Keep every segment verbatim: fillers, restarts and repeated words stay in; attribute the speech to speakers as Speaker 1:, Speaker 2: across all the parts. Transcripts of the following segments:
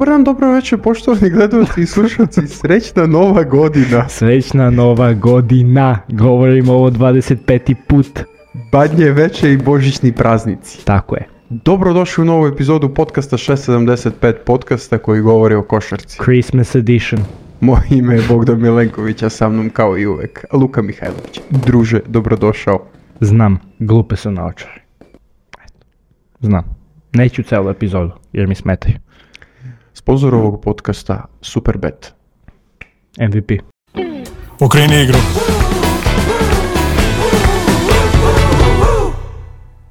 Speaker 1: dan, dobro večer, poštovani gledalci i slušalci, srećna nova godina.
Speaker 2: Srećna nova godina, govorimo ovo dvadeset peti put.
Speaker 1: Badnje veče i božićni praznici.
Speaker 2: Tako je.
Speaker 1: Dobrodošli u novu epizodu podcasta šest sedamdeset pet podcasta koji govori o košarci.
Speaker 2: Christmas edition.
Speaker 1: Moje ime je Bogdan Milenković, a sa mnom kao i uvek Luka Mihajlović. Druže, dobrodošao.
Speaker 2: Znam, glupe su naočare. Znam. Neću celu epizodu, jer mi smetaju.
Speaker 1: Sponzor ovog podcasta Superbet.
Speaker 2: M V P.
Speaker 3: Okreni igru.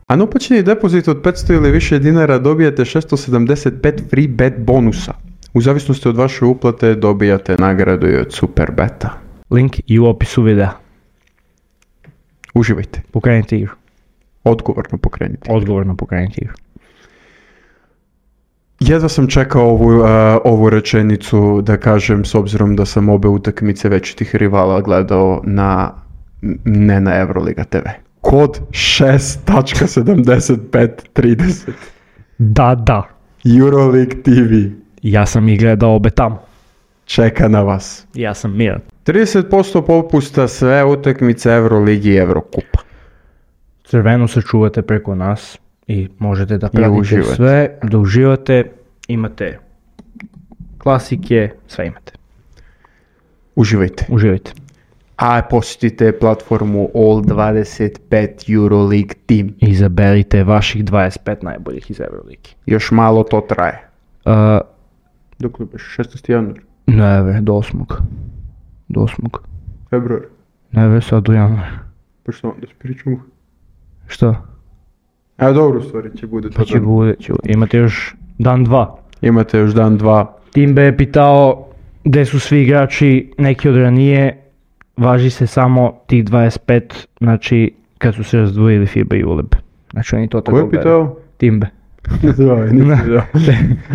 Speaker 1: A na uplaćeni depozit od petsto ili više dinara dobijate šesto sedamdeset pet free bet bonusa. U zavisnosti od vaše uplate dobijate nagradu i od Superbeta.
Speaker 2: Link i u opisu videa.
Speaker 1: Uživajte.
Speaker 2: Pokrenite igru.
Speaker 1: Odgovorno pokrenite.
Speaker 2: Odgovorno pokrenite igru.
Speaker 1: Jedva sam čekao ovu, uh, ovu rečenicu da kažem, s obzirom da sam obe utakmice večitih rivala gledao na, ne na Euroliga te ve. Kod šest sedamdeset pet trideset.
Speaker 2: Da, da.
Speaker 1: Euroleague te ve.
Speaker 2: Ja sam ih gledao obe tamo.
Speaker 1: Čeka na vas.
Speaker 2: Ja sam miran.
Speaker 1: trideset posto popusta sve utakmice Euroligi i Eurokupa.
Speaker 2: Crveno se čuvate preko nas i možete da pratite
Speaker 1: uživate.
Speaker 2: sve, da uživate, imate klasike, sve imate.
Speaker 1: Uživajte.
Speaker 2: Uživajte.
Speaker 1: A posjetite platformu All dvadeset pet Euroleague Team.
Speaker 2: Izaberite vaših dvadeset pet najboljih iz Euroligi.
Speaker 1: Još malo to traje.
Speaker 2: Uh,
Speaker 1: Dok li beš? šestnaesti januar?
Speaker 2: ne ve, do osmog. Do osmog.
Speaker 1: Februar?
Speaker 2: Ne ve, sad u januar.
Speaker 1: Pa što onda spričamo?
Speaker 2: Što?
Speaker 1: A dobro, u stvari će bude to
Speaker 2: Pa će
Speaker 1: dan.
Speaker 2: bude, će, imate još dan dva.
Speaker 1: Imate još dan dva.
Speaker 2: Timbe je pitao gdje su svi igrači, neki od ranije, važi se samo tih dvadeset pet, znači kad su se razdvojili FIBA i U L E B. Znači oni to tako
Speaker 1: Ko je pitao?
Speaker 2: Timbe.
Speaker 1: Zvaj, nisam vidio.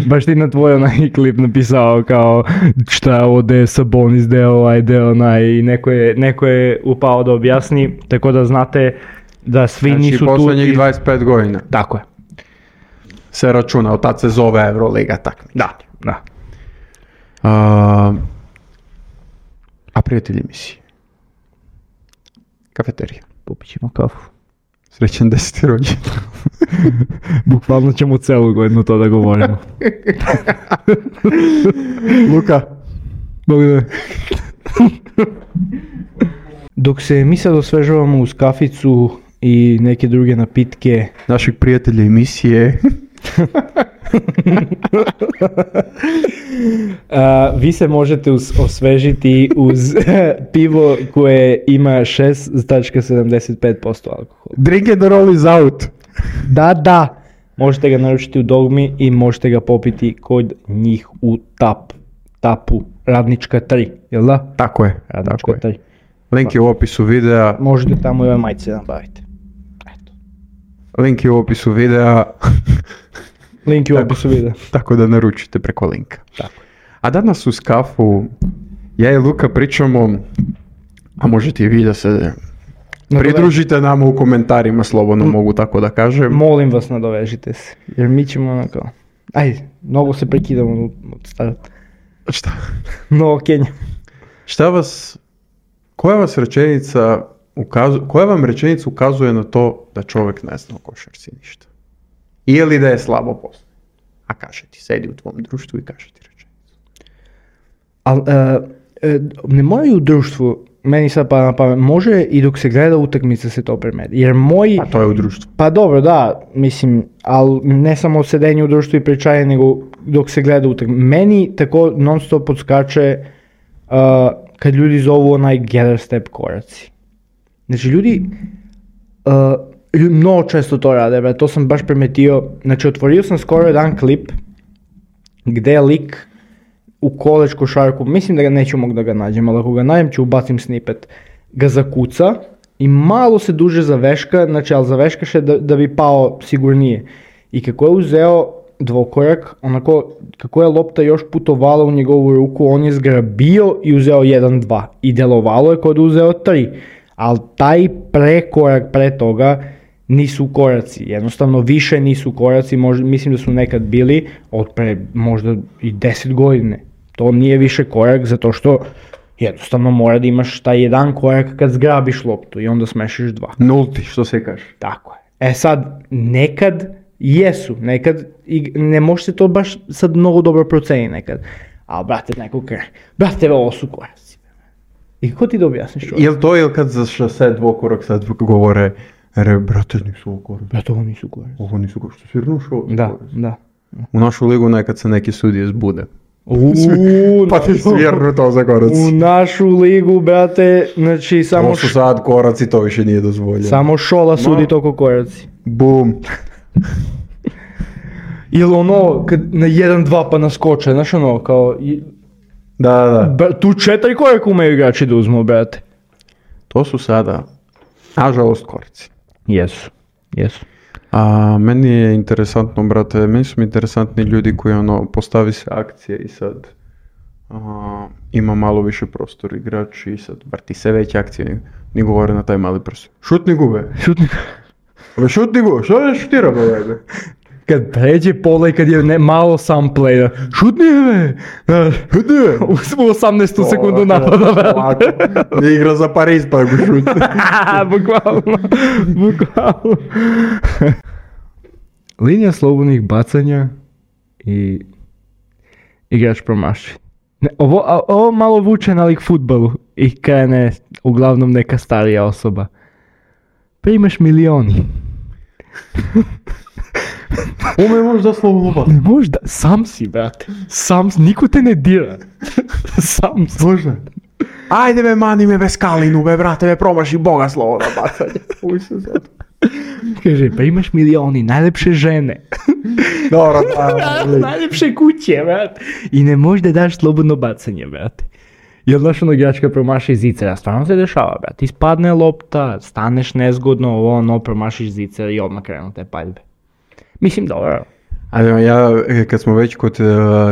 Speaker 2: Baš ti na tvoj onaj klip napisao kao šta je ovo, gdje je Sabonis, gdje je ovaj, gdje je onaj, i neko je, neko je upao da objasni, tako da znate da svi
Speaker 1: Znači
Speaker 2: nisu tu.
Speaker 1: posljednjih
Speaker 2: i-
Speaker 1: dvadeset pet godina
Speaker 2: Tako je.
Speaker 1: se računa, od tad se zove Euroliga takmičenje.
Speaker 2: Da, da.
Speaker 1: A, a prijatelji emisije? Kafeterija.
Speaker 2: Popit ćemo kafu.
Speaker 1: Srećan deseti rođendan.
Speaker 2: Bukvalno ćemo celu godinu to da govorimo.
Speaker 1: Luka.
Speaker 2: Благодаря. Dok se mi sad osvežavamo uz kaficu i neke druge napitke,
Speaker 1: Našeg prijatelja emisije.
Speaker 2: a, vi se možete us- osvežiti uz pivo koje ima šest zarez sedamdeset pet posto alkohola.
Speaker 1: Drink and roll is out.
Speaker 2: Da, da, možete ga naručiti u Dogmi i možete ga popiti kod njih u tap, tapu, Radnička tri, jel da?
Speaker 1: Tako je, tako
Speaker 2: Radnička
Speaker 1: je.
Speaker 2: tri.
Speaker 1: Link je u opisu videa.
Speaker 2: Možete tamo i ove majice nabaviti. Eto.
Speaker 1: Link je u opisu videa.
Speaker 2: Link je u
Speaker 1: Tako.
Speaker 2: opisu videa.
Speaker 1: Tako da naručite preko linka.
Speaker 2: Tako.
Speaker 1: A danas uz kafu ja i Luka pričamo, a možete i vi da se pridružite nama u komentarima, slobodno mogu tako da kažem.
Speaker 2: Molim vas, nadovežite se, jer mi ćemo onako, ajde, mnogo se prekidamo od starta.
Speaker 1: Šta,
Speaker 2: No, Kenja.
Speaker 1: šta vas, koja vas rečenica ukazuje, koja vam rečenica ukazuje na to da čovjek ne zna o košarci ništa? Ili da je slabo postoji? A kaže ti, sedi u tvom društvu i kaže ti rečenicu.
Speaker 2: Ali, ne moraju u društvu, meni sad pa na pamet, može i dok se gleda utakmica se to premeti. Jer moji,
Speaker 1: A to je u društvu.
Speaker 2: pa dobro, da, mislim, ali ne samo sedenje u društvu i pričanje, nego dok se gleda utakmica. Meni tako non stop podskače uh, kad ljudi zovu onaj gather step koraci. Znači ljudi, uh, lju- mnogo često to rade, bre, to sam baš primetio. Znači otvorio sam skoro jedan klip gdje je lik u college košarku, mislim da ga neću mogu da ga nađem, ali ako ga nađem ću ubacim snippet, ga zakuca i malo se duže zaveška, znači ali zaveškaše da, da bi pao sigurnije. I kako je uzeo dvokorak, onako, kako je lopta još putovala u njegovu ruku, on je zgrabio i uzeo jedan dva. I delovalo je kod uzeo tri. Ali taj prekorak pre toga nisu koraci, jednostavno više nisu koraci, možda, mislim da su nekad bili od pre možda i deset godine. To nije više korak zato što jednostavno mora da imaš taj jedan korak kad zgrabiš loptu i onda smešiš dva.
Speaker 1: Nulti, što se kaže.
Speaker 2: Tako je. E sad, nekad jesu, nekad i ne može se to baš sad mnogo dobro proceni nekad. A brate, neko kaže, brate, ovo su koraci. I kako ti da objasniš čovjek?
Speaker 1: Jel to, jel kad za šase dvokorak sad govore, re, brate, nisu ovo koraci.
Speaker 2: Brate, ovo nisu koraci.
Speaker 1: Ovo nisu koraci, što svirno šo?
Speaker 2: Da, da.
Speaker 1: U našu ligu nekad se neki sudije zbude.
Speaker 2: Uuu,
Speaker 1: Pa ti svirnu to za koraci.
Speaker 2: U našu ligu, brate, znači samo...
Speaker 1: To su sad koraci, to više nije dozvoljeno.
Speaker 2: Samo Šola sudi toko koraci.
Speaker 1: Bum.
Speaker 2: Ili ono, kad na jedan dva pa naskoče, znaš ono, kao... I,
Speaker 1: Da, da.
Speaker 2: Bra, tu četiri koraka umeju igrači da uzmu, brate.
Speaker 1: To su sada, nažalost, koraci.
Speaker 2: Jesu, jesu.
Speaker 1: A meni je interesantno, brate, meni su mi interesantni ljudi koji ono, postavi se akcije i sad a, ima malo više prostor igrač i sad vrti se veće akcije, ni govore na taj mali prostor. Šutni gube.
Speaker 2: Šutni.
Speaker 1: Ove šutni gube, što je šutira bojede?
Speaker 2: Kad pređe pola i kad je ne, malo sam play, šutni me!
Speaker 1: Šutni me!
Speaker 2: U osamnaestu sekundu napada, brate.
Speaker 1: Ne igra za Pariz pa go šutni.
Speaker 2: Bukvalno, bukvalno. Linija slobodnih bacanja i igrač promaši. Ne, ovo, a, ovo malo vuče na lik fudbalu i krene uglavnom neka starija osoba. Primaš milioni.
Speaker 1: Ome možda slobodno bacanje.
Speaker 2: Ne možda, sam si, brate. Sam si, niko te ne dira. Sam si.
Speaker 1: Možda. Ajde me mani me bez kalinu, be brate, me promaši Boga slobodno bacanje. Uj se sad.
Speaker 2: Kaže, pa imaš milioni, najlepše žene.
Speaker 1: Dobro, da.
Speaker 2: Najlepše kuće, brate. I ne možeš da daš slobodno bacanje, brate. Jel znaš ono igračka promaši zicera, stvarno se dešava, brate. Ispadne lopta, staneš nezgodno, ovo ono, promašiš zicera i odmah krenu te paljbe. Mislim, dobro.
Speaker 1: Ali ja, kad smo već kod uh,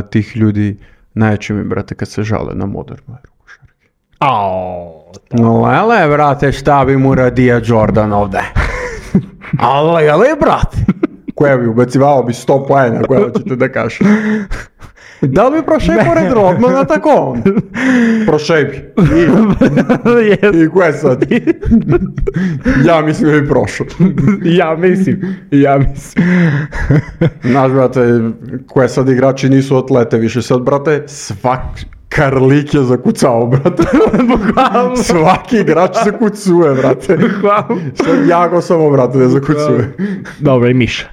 Speaker 1: tih ljudi, najjače mi, brate, kad se žale na modernu eru košarke.
Speaker 2: Aaaaa.
Speaker 1: No, ele, brate, šta bi mu radio Jordan ovde? Ale, ele, brate. Koja bi ubacivao bi sto poena, koja hoćete da kažete? Da li bi prošao pored Rodmana tako? Prošao bi. I, I koje sad? Ja mislim da bi prošao.
Speaker 2: Ja mislim, ja mislim.
Speaker 1: Znaš, brate, koje sad igrači nisu atlete više. Sad, brate, svak Karlik je zakucao, brate.
Speaker 2: Bukvalno.
Speaker 1: Svaki igrač zakucuje, brate.
Speaker 2: Bukvalno.
Speaker 1: Sad Jago samo, brate, ne zakucuje.
Speaker 2: Dobro, i Miša.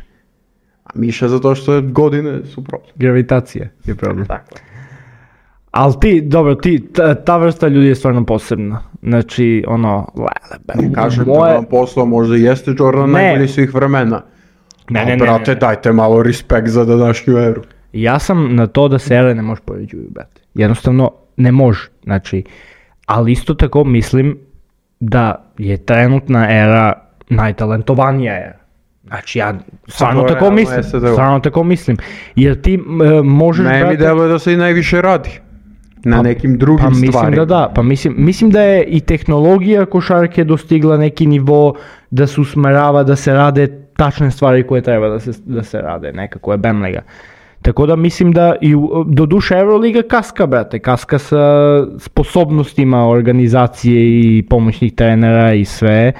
Speaker 1: A Miša zato što je godine su problem.
Speaker 2: Gravitacija je problem.
Speaker 1: Tako.
Speaker 2: Ali ti, dobro, ti, ta, ta vrsta ljudi je stvarno posebna. Znači, ono, lele,
Speaker 1: Ne kažem
Speaker 2: moje...
Speaker 1: da vam posao možda jeste Jordan
Speaker 2: Ne.
Speaker 1: najbolji svih vremena.
Speaker 2: Ne,
Speaker 1: A,
Speaker 2: ne, ne,
Speaker 1: brate,
Speaker 2: ne, ne.
Speaker 1: dajte malo respekt za današnju eru.
Speaker 2: Ja sam na to da se ere ne može poređuju, brate. Jednostavno, ne može. Znači, ali isto tako mislim da je trenutna era najtalentovanija era. Znači, ja stvarno
Speaker 1: to
Speaker 2: tako
Speaker 1: realno
Speaker 2: mislim.
Speaker 1: jeste da je.
Speaker 2: Stvarno tako mislim. Jer ti e, možeš,
Speaker 1: Ne mi
Speaker 2: brate...
Speaker 1: deluje da se i najviše radi. Na
Speaker 2: Pa-
Speaker 1: nekim drugim
Speaker 2: pa mislim
Speaker 1: stvarima.
Speaker 2: da da, pa mislim, mislim da je i tehnologija košarke dostigla neki nivo da se usmerava da se rade tačne stvari koje treba da se, da se rade, nekako je Bemlega. Tako da mislim da i u- do duše Euroliga kaska, brate, kaska sa sposobnostima organizacije i pomoćnih trenera i sve,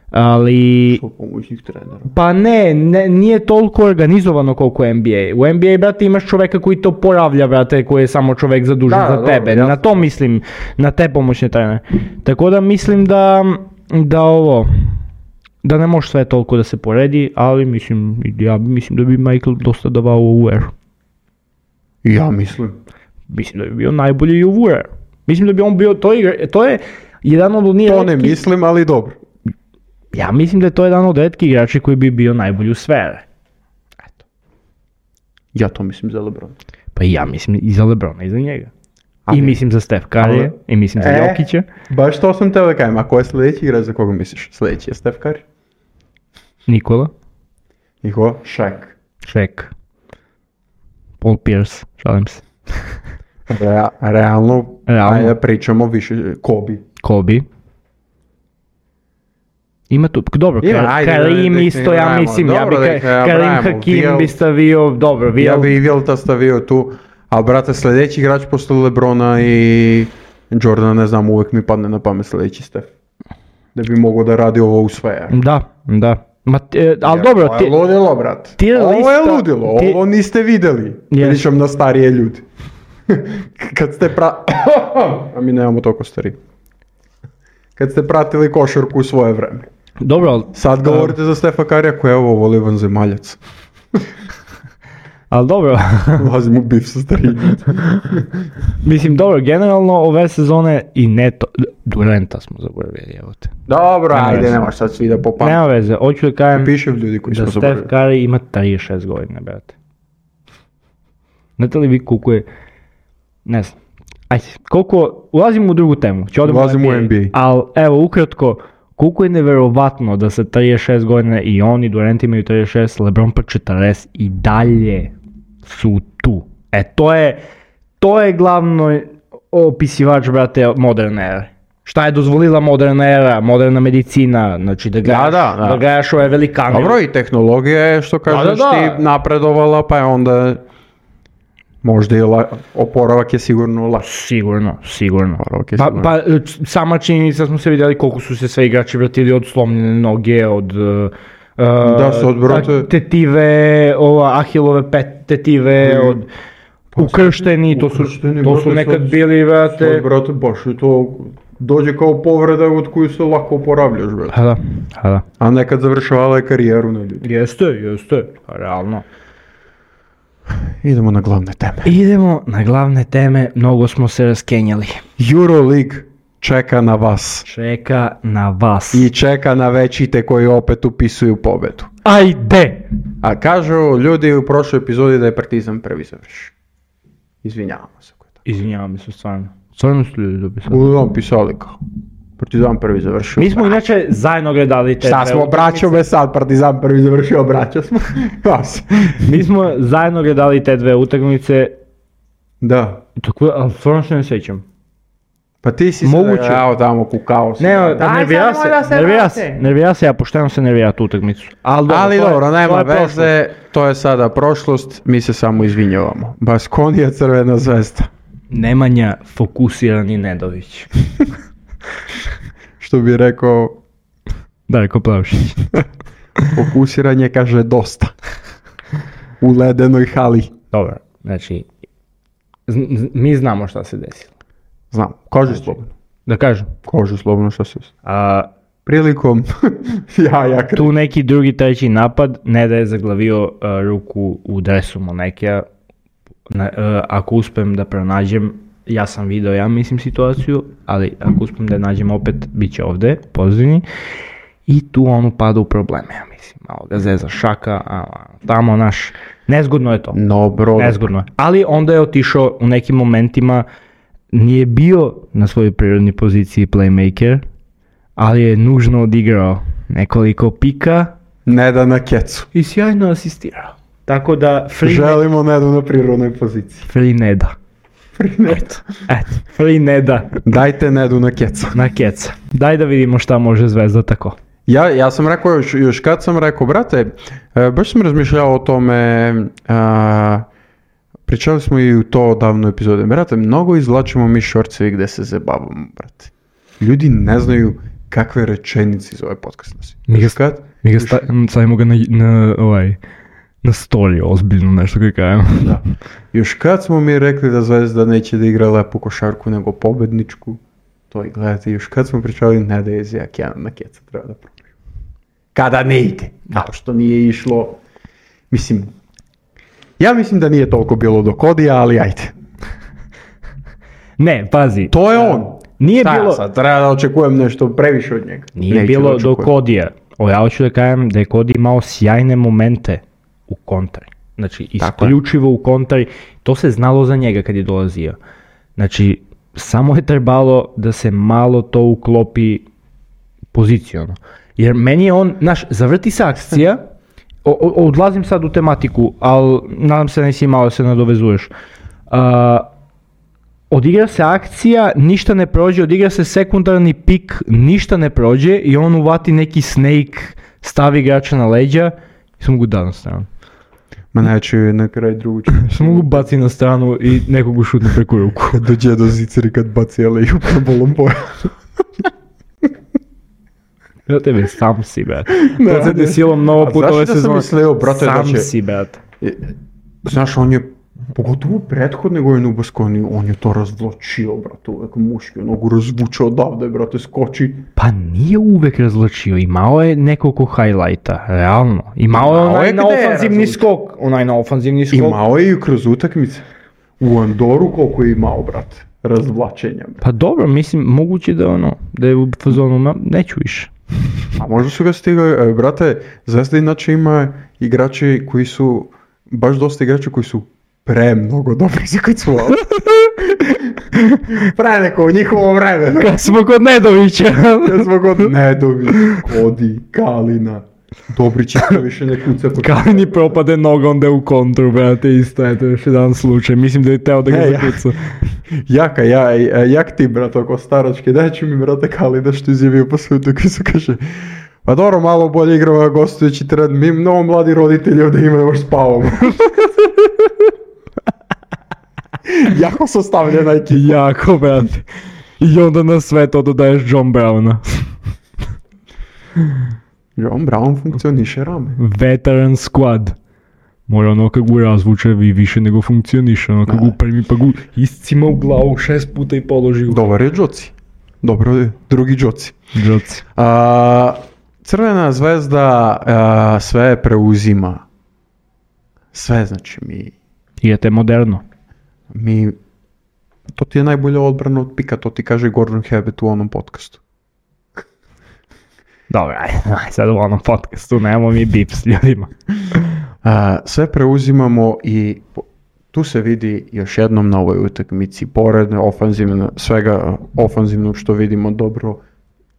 Speaker 2: ali...
Speaker 1: Što pomoćnih trenera.
Speaker 2: Pa ne, ne, nije toliko organizovano koliko N B A. U N B A, brate, imaš čoveka koji to poravlja, brate, koji je samo čovek zadužen
Speaker 1: Da,
Speaker 2: za
Speaker 1: dobro,
Speaker 2: tebe.
Speaker 1: jasno.
Speaker 2: Na to mislim, na te pomoćne trenere. Tako da mislim da, da ovo, da ne može sve toliko da se poredi, ali mislim, ja mislim da bi Michael dosta davao u ovu eru.
Speaker 1: Ja mislim.
Speaker 2: Mislim da bi bio najbolji i u ovu eru. Mislim da bi on bio, to, igra, to je jedan od onih
Speaker 1: To ne
Speaker 2: retkih-
Speaker 1: mislim, ali dobro.
Speaker 2: Ja mislim da je to jedan od retkih igrača koji bi bio najbolji u sve ere. Eto.
Speaker 1: Ja to mislim za LeBron.
Speaker 2: Pa i ja mislim i za LeBrona i za njega.
Speaker 1: Ali-
Speaker 2: I mislim za Steph Curry,
Speaker 1: Ali-
Speaker 2: i mislim za
Speaker 1: E.
Speaker 2: Jokića.
Speaker 1: Baš to sam teo da kajem. A ko je sljedeći igrač za koga misliš? Sljedeći je Steph Curry.
Speaker 2: Nikola,
Speaker 1: I ko? Shaq.
Speaker 2: Shaq, Paul Pierce, šalim se,
Speaker 1: Rea- realno,
Speaker 2: Realno.
Speaker 1: ajde pričamo više. Kobe.
Speaker 2: Kobe. Ima tu, dobro,
Speaker 1: Ima, ajde,
Speaker 2: Karim
Speaker 1: da ih
Speaker 2: isto,
Speaker 1: ne
Speaker 2: ja
Speaker 1: nabrajamo.
Speaker 2: mislim, ja bi
Speaker 1: Dobro da ih ne
Speaker 2: Karim
Speaker 1: nabrajamo.
Speaker 2: Hakim
Speaker 1: Vial-
Speaker 2: bi stavio, dobro,
Speaker 1: Ja
Speaker 2: Vial,
Speaker 1: bi i Vilta stavio tu, a brate, sljedeći igrač posle Lebrona i Jordana, ne znam, uvek mi padne na pamet sljedeći Stef. Da bi mogao da radi ovo u sve.
Speaker 2: da, da. Ma, e, ali dobro,
Speaker 1: Ovo
Speaker 2: ti,
Speaker 1: je ludilo, brate.
Speaker 2: tier
Speaker 1: Ovo je
Speaker 2: lista-
Speaker 1: ludilo,
Speaker 2: ti-
Speaker 1: ovo niste videli.
Speaker 2: Yes.
Speaker 1: Pričam na starije ljudi. Kad ste pra... A mi nemamo toliko stari. Kad ste pratili košarku u svoje vreme.
Speaker 2: dobro, ali,
Speaker 1: Sad govorite za Stefa Karija koji je ovo voli vanzemaljac.
Speaker 2: ali dobro,
Speaker 1: Ulazim u bif sa starijim.
Speaker 2: mislim, dobro, generalno ove sezone i neto, Durenta smo zaboravili, evo te.
Speaker 1: Dobro,
Speaker 2: Nema
Speaker 1: ajde,
Speaker 2: veze.
Speaker 1: nemaš sad svi da popam.
Speaker 2: Nema veze, hoću da kažem
Speaker 1: Piše ljudi koji
Speaker 2: da
Speaker 1: smo
Speaker 2: Steph
Speaker 1: zaboravili.
Speaker 2: Curry ima trideset šest godina, brate. Znate li vi koliko je, ne znam, ajde, koliko, ulazimo u drugu temu, ću odemo
Speaker 1: Ulazimo u N B A.
Speaker 2: ali evo, ukratko, koliko je neverovatno da sa trideset šest godina i oni, Durant imaju trideset šest, LeBron pa četrdeset i dalje su tu. E, to je, to je glavno opisivač, brate, moderne ere. Šta je dozvolila moderna era, moderna medicina, znači da gledaš,
Speaker 1: da, da.
Speaker 2: da gledaš ove velikane.
Speaker 1: Dobro, i tehnologija je, što kažeš
Speaker 2: da, da.
Speaker 1: ti, napredovala, pa je onda možda i la... oporavak je sigurno lakši.
Speaker 2: Sigurno, sigurno.
Speaker 1: Oporavak je
Speaker 2: Pa,
Speaker 1: sigurno.
Speaker 2: pa e, c- sama činjenica smo se vidjeli koliko su se sve igrači vratili od slomljene noge, od uh,
Speaker 1: Da, se od, brate-
Speaker 2: tetive, ova Ahilove pet, tetive,
Speaker 1: Mm.
Speaker 2: od ukršteni, to su,
Speaker 1: Ukršteni,
Speaker 2: to su
Speaker 1: brate,
Speaker 2: nekad
Speaker 1: sad-
Speaker 2: bili,
Speaker 1: Sad,
Speaker 2: brate.
Speaker 1: brate, baš je to dođe kao povreda od koju se lako oporavljaš, brate.
Speaker 2: Ha da, ha da.
Speaker 1: A nekad završavala je karijeru na ljudi.
Speaker 2: Jeste, jeste, realno.
Speaker 1: Idemo na glavne teme.
Speaker 2: Idemo na glavne teme, mnogo smo se raskenjali.
Speaker 1: Euroleague čeka na vas.
Speaker 2: Čeka na vas.
Speaker 1: I čeka na većite koji opet upisuju pobedu.
Speaker 2: Ajde!
Speaker 1: A kažu ljudi u prošloj epizodi da je Partizan prvi završio. Izvinjavamo se. ako je tako.
Speaker 2: Izvinjavam se stvarno. Stvarno su ljudi dopisali.
Speaker 1: Uglavnom pisali kao. Partizan prvi završio.
Speaker 2: Mi smo inače zajedno gledali te
Speaker 1: Šta
Speaker 2: dve
Speaker 1: smo, braćo
Speaker 2: utakmice.
Speaker 1: be sad, Partizan prvi završio, braćo smo. Vas.
Speaker 2: Mi smo zajedno gledali te dve utakmice,
Speaker 1: Da.
Speaker 2: tako, ali stvarno se ne sjećam.
Speaker 1: Pa ti si
Speaker 2: Moguće.
Speaker 1: se evo tamo kukao si.
Speaker 2: Ne,
Speaker 1: Daj,
Speaker 2: nervira
Speaker 1: sad
Speaker 2: se,
Speaker 1: nemoj da se
Speaker 2: nervira
Speaker 1: vrate.
Speaker 2: se, nervira se, ja pošteno se nervira tu utakmicu. Ali dobro,
Speaker 1: Ali
Speaker 2: to je-
Speaker 1: dobro,
Speaker 2: to
Speaker 1: nema
Speaker 2: je prošlost.
Speaker 1: veze, to je sada prošlost, mi se samo izvinjavamo. Baskonija, Crvena zvezda.
Speaker 2: Nemanja fokusirani Nedović.
Speaker 1: Što bi rekao,
Speaker 2: Darko Plavšić.
Speaker 1: fokusiranje kaže dosta. U ledenoj hali.
Speaker 2: Dobro, znači, z- z- mi znamo šta se desilo.
Speaker 1: Znam, koži slobodno.
Speaker 2: Da kažem,
Speaker 1: Koži slobodno što se desilo.
Speaker 2: a,
Speaker 1: Prilikom, ja, ja kre...
Speaker 2: tu neki drugi, treći napad, Neda je zaglavio a, ruku u dresu Monekija. Na, a, ako uspem da pronađem, ja sam video, ja mislim, situaciju, ali ako uspem da je nađem opet, bit će ovdje, pozivni. I tu on upada u probleme, ja mislim. Malo ga zeza šaka, a, tamo naš, nezgodno je to.
Speaker 1: No, bro.
Speaker 2: Nezgodno je. Ali onda je otišao u nekim momentima, nije bio na svojoj prirodnoj poziciji playmaker, ali je nužno odigrao nekoliko pika
Speaker 1: Ne da na kecu.
Speaker 2: i sjajno asistirao. Tako da free,
Speaker 1: Želimo Nedu na prirodnoj poziciji.
Speaker 2: free Neda.
Speaker 1: Free Ned.
Speaker 2: Eto, free Neda
Speaker 1: Dajte Nedu na kecu.
Speaker 2: na keca. Daj da vidimo šta može Zvezda tako.
Speaker 1: Ja, ja sam rekao, još, još kad sam rekao, brate, e, baš sam razmišljao o tome, a, pričali smo i u to davno epizode, brate, mnogo izvlačimo mi šorcevi gde se zabavamo, brate. Ljudi ne znaju kakve rečenice iz ove podcast nosi.
Speaker 2: Mi ga
Speaker 1: Još kad?
Speaker 2: Mi ga
Speaker 1: Još-
Speaker 2: sta, stavimo ga na, na, ovaj, na story, ozbiljno nešto koji kajem.
Speaker 1: Da. Još kad smo mi rekli da Zvezda neće da igra lepu košarku nego pobedničku, to i gledajte, još kad smo pričali ne da je Zijak jedan na keca treba da probaju. Kada ne ide, kao što nije išlo, mislim, ja mislim da nije toliko bilo do Kodija, ali ajde.
Speaker 2: Ne, pazi.
Speaker 1: To je on.
Speaker 2: Nije
Speaker 1: Šta ja
Speaker 2: bilo,
Speaker 1: sad, treba da očekujem nešto previše od njega.
Speaker 2: nije
Speaker 1: Neću
Speaker 2: bilo
Speaker 1: da
Speaker 2: do
Speaker 1: očekujem.
Speaker 2: Kodija. O, ja hoću da kažem da je Kodi imao sjajne momente u kontri. Znači,
Speaker 1: Tako je.
Speaker 2: isključivo u kontri. To se znalo za njega kad je dolazio. Znači, samo je trebalo da se malo to uklopi poziciono. Jer meni je on, znaš, zavrti se akcija, o, o, odlazim sad u tematiku, ali nadam se nisi imao da se nadovezuješ. A, odigra se akcija, ništa ne prođe, odigra se sekundarni pik, ništa ne prođe i on uvati neki snake, stavi igrača na leđa i sam mogu da na stranu.
Speaker 1: Ma neće na kraj drugu ču.
Speaker 2: Sam mogu baci na stranu i nekog ušutne preko ruku.
Speaker 1: Kad dođe do ziceri kad baci L A na bolom boja.
Speaker 2: Ja tebe sam si, brat. To se desilo mnogo puta ove sezone.
Speaker 1: A znaš da sam mislio, brate, da će...
Speaker 2: Sam si, brat.
Speaker 1: Znaš, on je, pogotovo prethodne godine u Baskoni, on je to razvlačio, brate, uvek muški, onogu razvučao odavde, brate, skoči.
Speaker 2: Pa nije uvek razvlačio, imao je nekoliko highlighta, realno. Imao je onaj na ofanzivni skok, onaj na ofanzivni skok.
Speaker 1: Imao je i kroz utakmice. U Andoru koliko je imao, brate, razvlačenja. Brate.
Speaker 2: Pa dobro, mislim, moguće da ono, da je u fazonu, ma, neću više.
Speaker 1: A možda su ga stigli, brate, Zvezda inače ima igrači koji su, baš dosta igrača koji su pre mnogo dobri za kad su ovdje. Pre neko u njihovo vreme.
Speaker 2: Kad smo kod Nedovića.
Speaker 1: Kad smo kod Nedovića, Kodi, Kalina. Dobrić isto više ne kuca.
Speaker 2: Kalini propade noga, onda je u kontru, brate, isto, eto još jedan slučaj. Mislim da je teo da ga
Speaker 1: hey,
Speaker 2: zakuca.
Speaker 1: Jaka, ja, jak ti, brate, oko staračke, daj ću mi, brate, Kalina što izjavio po svijetu koji se kaže, pa dobro, malo bolje igrava gostujući teren, mi mnogo mladi roditelji ovdje imaju, još spavamo. Jako su stavljena ekipa.
Speaker 2: Jako, brate. I onda na sve to dodaješ John Browna.
Speaker 1: John Brown funkcioniše rame.
Speaker 2: Veteran squad. Mora ono kad ga razvuče i više nego funkcioniše, ono kad ga upremi pa ga iscima u glavu šest puta i položi u...
Speaker 1: Dobar je Džoci. Dobro je drugi Džoci.
Speaker 2: Džoci.
Speaker 1: A, Crvena zvezda a, sve preuzima. Sve, znači mi...
Speaker 2: Idete moderno.
Speaker 1: Mi... To ti je najbolja odbrana od pika, to ti kaže Gordon Hebbett u onom podcastu.
Speaker 2: Dobro, aj, aj, sad u onom podcastu nemamo mi bip s ljudima.
Speaker 1: A, sve preuzimamo i tu se vidi još jednom na ovoj utakmici, pored ofanzivno, svega ofanzivnog što vidimo dobro,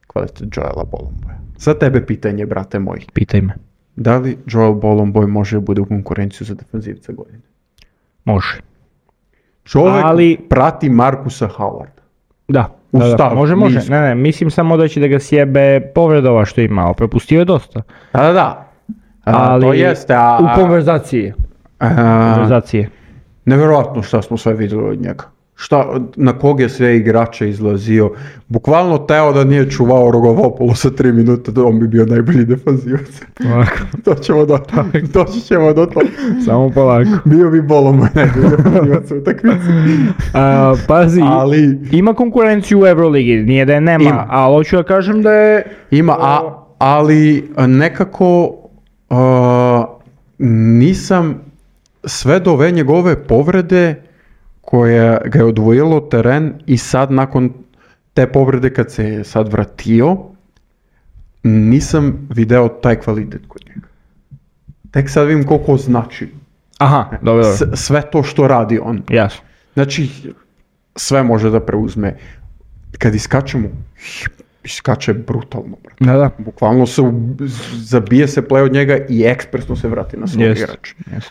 Speaker 1: kvalitet Joela Bolomboja. Za tebe pitanje, brate moj.
Speaker 2: Pitaj me.
Speaker 1: Da li Joel Bolomboy može bude u konkurenciju za defanzivca godine?
Speaker 2: Može.
Speaker 1: Čovjek
Speaker 2: Ali...
Speaker 1: prati Markusa Howarda.
Speaker 2: Da.
Speaker 1: U
Speaker 2: Da, da,
Speaker 1: stav,
Speaker 2: može, može.
Speaker 1: nisko.
Speaker 2: Ne, ne, mislim samo da će da ga sjebe povredova što je imao. Prepustio je dosta.
Speaker 1: Da, da, da. A,
Speaker 2: Ali
Speaker 1: to jeste, a...
Speaker 2: u konverzaciji.
Speaker 1: a,
Speaker 2: Konverzacije.
Speaker 1: Nevjerojatno šta smo sve vidjeli od njega. Šta, na kog je sve igrača izlazio. Bukvalno teo da nije čuvao Rogovopolu sa tri minute, da on bi bio najbolji defanzivac. Doćemo do toga. Doći ćemo do toga.
Speaker 2: Samo polako.
Speaker 1: Bio bi Bolomboy najbolji defanzivac u utakmici.
Speaker 2: A, pazi,
Speaker 1: Ali...
Speaker 2: ima konkurenciju u Euroligi, nije da je nema,
Speaker 1: Ima.
Speaker 2: ali hoću da kažem da je...
Speaker 1: Ima, a, ali nekako uh, nisam sve do ove njegove povrede koja ga je odvojilo teren i sad nakon te povrede kad se je sad vratio, nisam video taj kvalitet kod njega. Tek sad vidim koliko znači.
Speaker 2: Aha, dobro, dobro.
Speaker 1: S- sve to što radi on.
Speaker 2: Jasno.
Speaker 1: Znači, sve može da preuzme. Kad iskačemo, iskače brutalno, brate.
Speaker 2: Da, da.
Speaker 1: Bukvalno se u, zabije se play od njega i ekspresno se vrati na svog
Speaker 2: Jest,
Speaker 1: igrača.
Speaker 2: jest.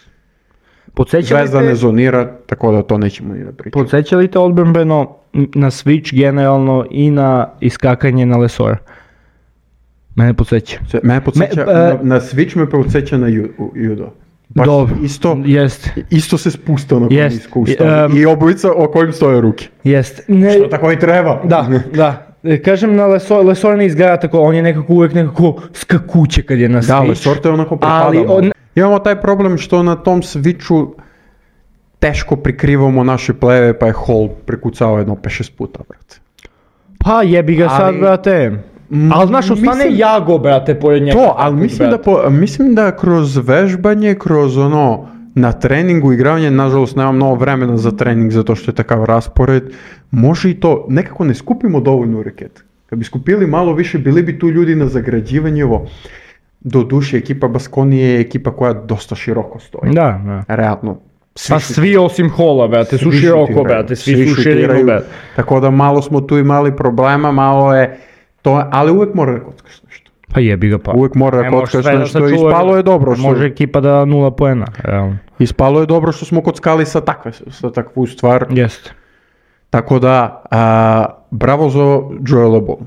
Speaker 2: Podsjeća li
Speaker 1: Zvezda ne
Speaker 2: te,
Speaker 1: zonira, tako da to nećemo ni da pričamo.
Speaker 2: podsjeća li te odbrambeno na switch generalno i na iskakanje na Lesora? Mene podsjeća.
Speaker 1: Se- Mene podsjeća,
Speaker 2: Me-
Speaker 1: na,
Speaker 2: e-
Speaker 1: na switch me podsjeća na ju, u- judo. Baš
Speaker 2: Dobro,
Speaker 1: isto,
Speaker 2: jest,
Speaker 1: isto se spustao na
Speaker 2: Jest.
Speaker 1: nisko ustavi.
Speaker 2: Um,
Speaker 1: I obojica o kojim stoje ruke.
Speaker 2: jest. Ne,
Speaker 1: Što tako i treba.
Speaker 2: Da, da. E, Kažem na Lesor, Lesor ne izgleda tako, on je nekako uvijek nekako skakuće kad je na
Speaker 1: Da,
Speaker 2: switch.
Speaker 1: Lesor te onako
Speaker 2: Ali
Speaker 1: prepadamo.
Speaker 2: on-
Speaker 1: Imamo taj problem što na tom switchu teško prikrivamo naše pleve, pa je Hall prekucao jedno pet šest puta, brate.
Speaker 2: Pa jebi ga sad,
Speaker 1: Ali-
Speaker 2: brate.
Speaker 1: Mm,
Speaker 2: Ali znaš, ostane
Speaker 1: mislim-
Speaker 2: Jago, brate, pored njega.
Speaker 1: To, ali mislim da,
Speaker 2: brate.
Speaker 1: po, mislim da kroz vežbanje, kroz ono, na treningu, igravanje, nažalost nemam mnogo vremena za trening zato što je takav raspored, može i to, nekako ne skupimo dovoljno reket. Kad bi skupili malo više, bili bi tu ljudi na zagrađivanje ovo. Do duše, ekipa Baskonije je ekipa koja dosta široko stoji.
Speaker 2: Da, da.
Speaker 1: Realno. Svi
Speaker 2: Pa
Speaker 1: su-
Speaker 2: svi osim Hola, brate, su
Speaker 1: svi
Speaker 2: široko,
Speaker 1: šutiraju,
Speaker 2: brate, svi, su
Speaker 1: šutiraju,
Speaker 2: širinu, brate.
Speaker 1: Tako da malo smo tu imali problema, malo je to, ali uvek mora da kockaš nešto.
Speaker 2: Pa jebi ga pa.
Speaker 1: Uvek mora da
Speaker 2: Ne možeš
Speaker 1: kockaš
Speaker 2: sve da
Speaker 1: nešto i
Speaker 2: sačuvaš.
Speaker 1: ispalo je dobro. Što,
Speaker 2: Može ekipa da nula poena, realno.
Speaker 1: Ispalo je dobro što smo kockali sa takve, sa takvu stvar.
Speaker 2: Jeste.
Speaker 1: Tako da, a, bravo za Joela Bolumbu.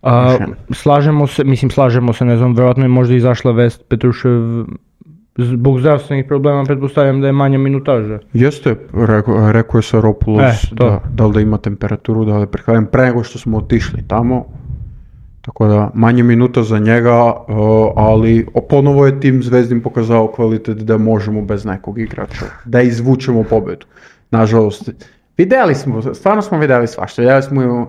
Speaker 2: A, slažemo se, mislim slažemo se, ne znam, vjerojatno je možda izašla vest Petrušev zbog zdravstvenih problema, pretpostavljam da je manja minutaža.
Speaker 1: Jeste, rekao, rekao je Saropoulos
Speaker 2: E, to.
Speaker 1: da, da li da ima temperaturu, da li je prehvaljen pre nego što smo otišli tamo. Tako da, manje minuta za njega, uh, ali ponovo je tim Zvezdin pokazao kvalitet da možemo bez nekog igrača, da izvučemo pobedu. Nažalost, vidjeli smo, stvarno smo vidjeli svašta, vidjeli smo uh,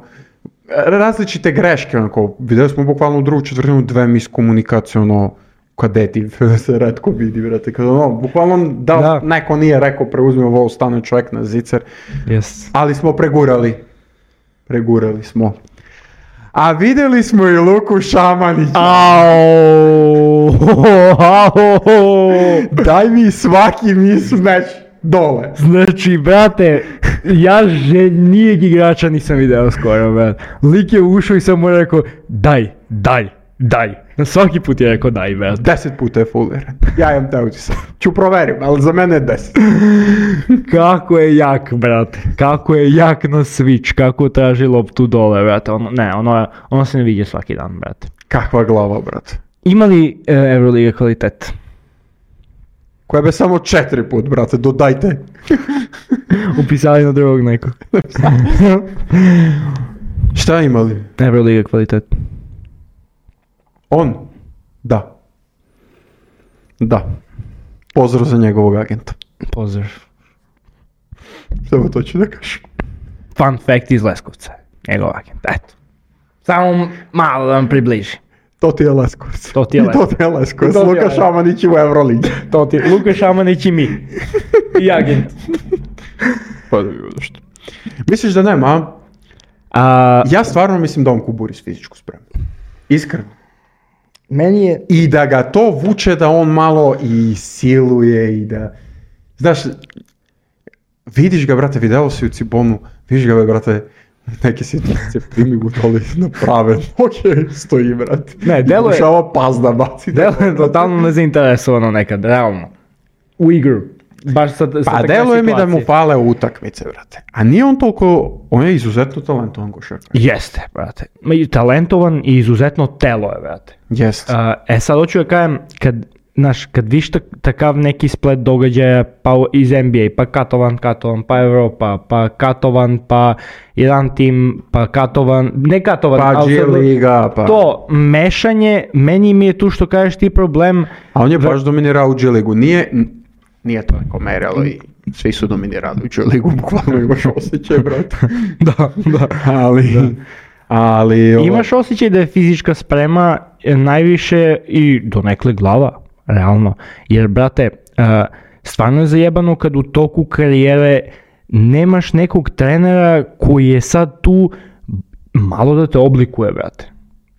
Speaker 1: različite greške, onako, vidjeli smo bukvalno u drugu četvrtinu dve miskomunikacije, ono, kadeti, se retko vidi, brate, kada ono, bukvalno da,
Speaker 2: Da.
Speaker 1: neko nije rekao preuzmio vol, stane čovjek na zicer,
Speaker 2: Yes.
Speaker 1: ali smo pregurali, pregurali smo. A vidjeli smo i Luku Šamanića.
Speaker 2: Au!
Speaker 1: Daj mi svaki mismeč dole.
Speaker 2: Znači, brate, ja željnijeg igrača nisam video skoro, brate. Lik je ušao i sam mu rekao, daj, daj, daj. Na svaki put je rekao daj, brate.
Speaker 1: Deset puta je fuliran. Ja imam te utisak. Ću provjerim, ali za mene je deset.
Speaker 2: Kako je jak, brate. Kako je jak na switch, kako traži loptu dole, brate. Ono, ne, ono, ono se ne vidi svaki dan, brate.
Speaker 1: Kakva glava, brate.
Speaker 2: Ima li e, Euroliga kvalitet?
Speaker 1: Koja be samo četiri put, brate, dodajte.
Speaker 2: Upisali na drugog nekog.
Speaker 1: Šta imali?
Speaker 2: Euroliga kvalitet.
Speaker 1: On? Da. Da. Pozdrav za njegovog agenta.
Speaker 2: Pozdrav.
Speaker 1: Samo to ću da kažem.
Speaker 2: Fun fact iz Leskovca. Njegov agent, eto. Samo malo da vam približi.
Speaker 1: To ti je Leskovac.
Speaker 2: To ti je
Speaker 1: I to ti je Leskovac.
Speaker 2: To ti je
Speaker 1: Luka
Speaker 2: Leskovac.
Speaker 1: Šamanić u Euroligi.
Speaker 2: To ti je Luka Šamanić i mi. I agent.
Speaker 1: Pa da bi bilo što. Misliš da nema, a?
Speaker 2: A,
Speaker 1: Ja stvarno mislim da on kuburi s fizičku spremu. Iskreno.
Speaker 2: meni je...
Speaker 1: I da ga to vuče da on malo i siluje i da... Znaš, vidiš ga, brate, vidjelo si u Cibonu, vidiš ga, brate, neke situacije primi u dole na prave noge stoji, brate.
Speaker 2: Ne, delo je-
Speaker 1: Pokušava pas da baci.
Speaker 2: Delo je totalno nezainteresovano nekad, realno. U igru. Baš sa, sa
Speaker 1: Pa
Speaker 2: takve
Speaker 1: deluje mi da mu
Speaker 2: situacije.
Speaker 1: fale utakmice, brate. A nije on toliko, on je izuzetno talentovan košarkaš.
Speaker 2: Jeste, brate. Ma i talentovan i izuzetno telo je, brate.
Speaker 1: Jest.
Speaker 2: A, e sad hoću da kažem, kad, znaš, kad viš tak, takav neki splet događaja pa u- iz N B A, pa katovan, katovan, pa Europa, pa katovan, pa jedan tim, pa katovan, ne katovan,
Speaker 1: Pa
Speaker 2: ali
Speaker 1: G
Speaker 2: sad-
Speaker 1: Liga, pa...
Speaker 2: to mešanje, meni mi je tu što kažeš ti problem,
Speaker 1: A on je baš dominirao u G Ligu. Nije, n- nije to neko merilo i svi su dominirali u G Ligu, bukvalno imaš osjećaj, brate.
Speaker 2: da, da.
Speaker 1: Ali, ali... ovo-
Speaker 2: Imaš osjećaj da je fizička sprema e, najviše i donekle glava, realno. Jer, brate, e, stvarno je zajebano kad u toku karijere nemaš nekog trenera koji je sad tu malo da te oblikuje, brate.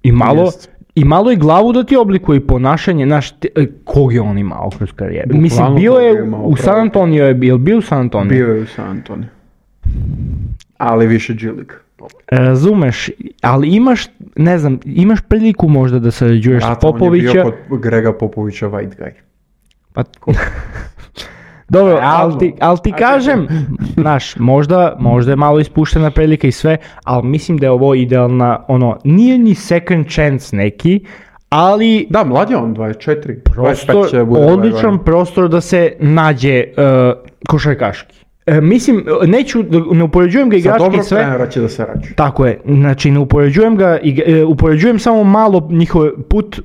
Speaker 2: I malo,
Speaker 1: Jest.
Speaker 2: i malo i glavu da ti oblikuje i ponašanje, znaš, te- e, kog je on imao kroz karijeru.
Speaker 1: Bukvalno
Speaker 2: Mislim, bio
Speaker 1: kog je
Speaker 2: je
Speaker 1: imao,
Speaker 2: u San
Speaker 1: pravo.
Speaker 2: Antonio, je bio, bio u San Antonio.
Speaker 1: Bio je u San Antonio. Ali više G Liga.
Speaker 2: Razumeš, ali imaš, ne znam, imaš priliku možda da sarađuješ s
Speaker 1: Brate, on je
Speaker 2: Popovića.
Speaker 1: bio kod Grega Popovića white guy.
Speaker 2: Pa, dobro,
Speaker 1: Realno.
Speaker 2: ali ti, ali ti kažem, znaš, možda, možda je malo ispuštena prilika i sve, ali mislim da je ovo idealna, ono, nije ni second chance neki, ali
Speaker 1: Da, mlad je on, dvadeset četiri. dvadeset pet
Speaker 2: prostor,
Speaker 1: će bude ovaj
Speaker 2: odličan
Speaker 1: godina.
Speaker 2: prostor da se nađe uh, košarkaški. E, mislim, neću, ne upoređujem ga
Speaker 1: Sa
Speaker 2: igrački
Speaker 1: dobrog
Speaker 2: sve.
Speaker 1: trenera će da se rađe.
Speaker 2: Tako je, znači ne upoređujem ga, i, e, upoređujem samo malo njihov put e,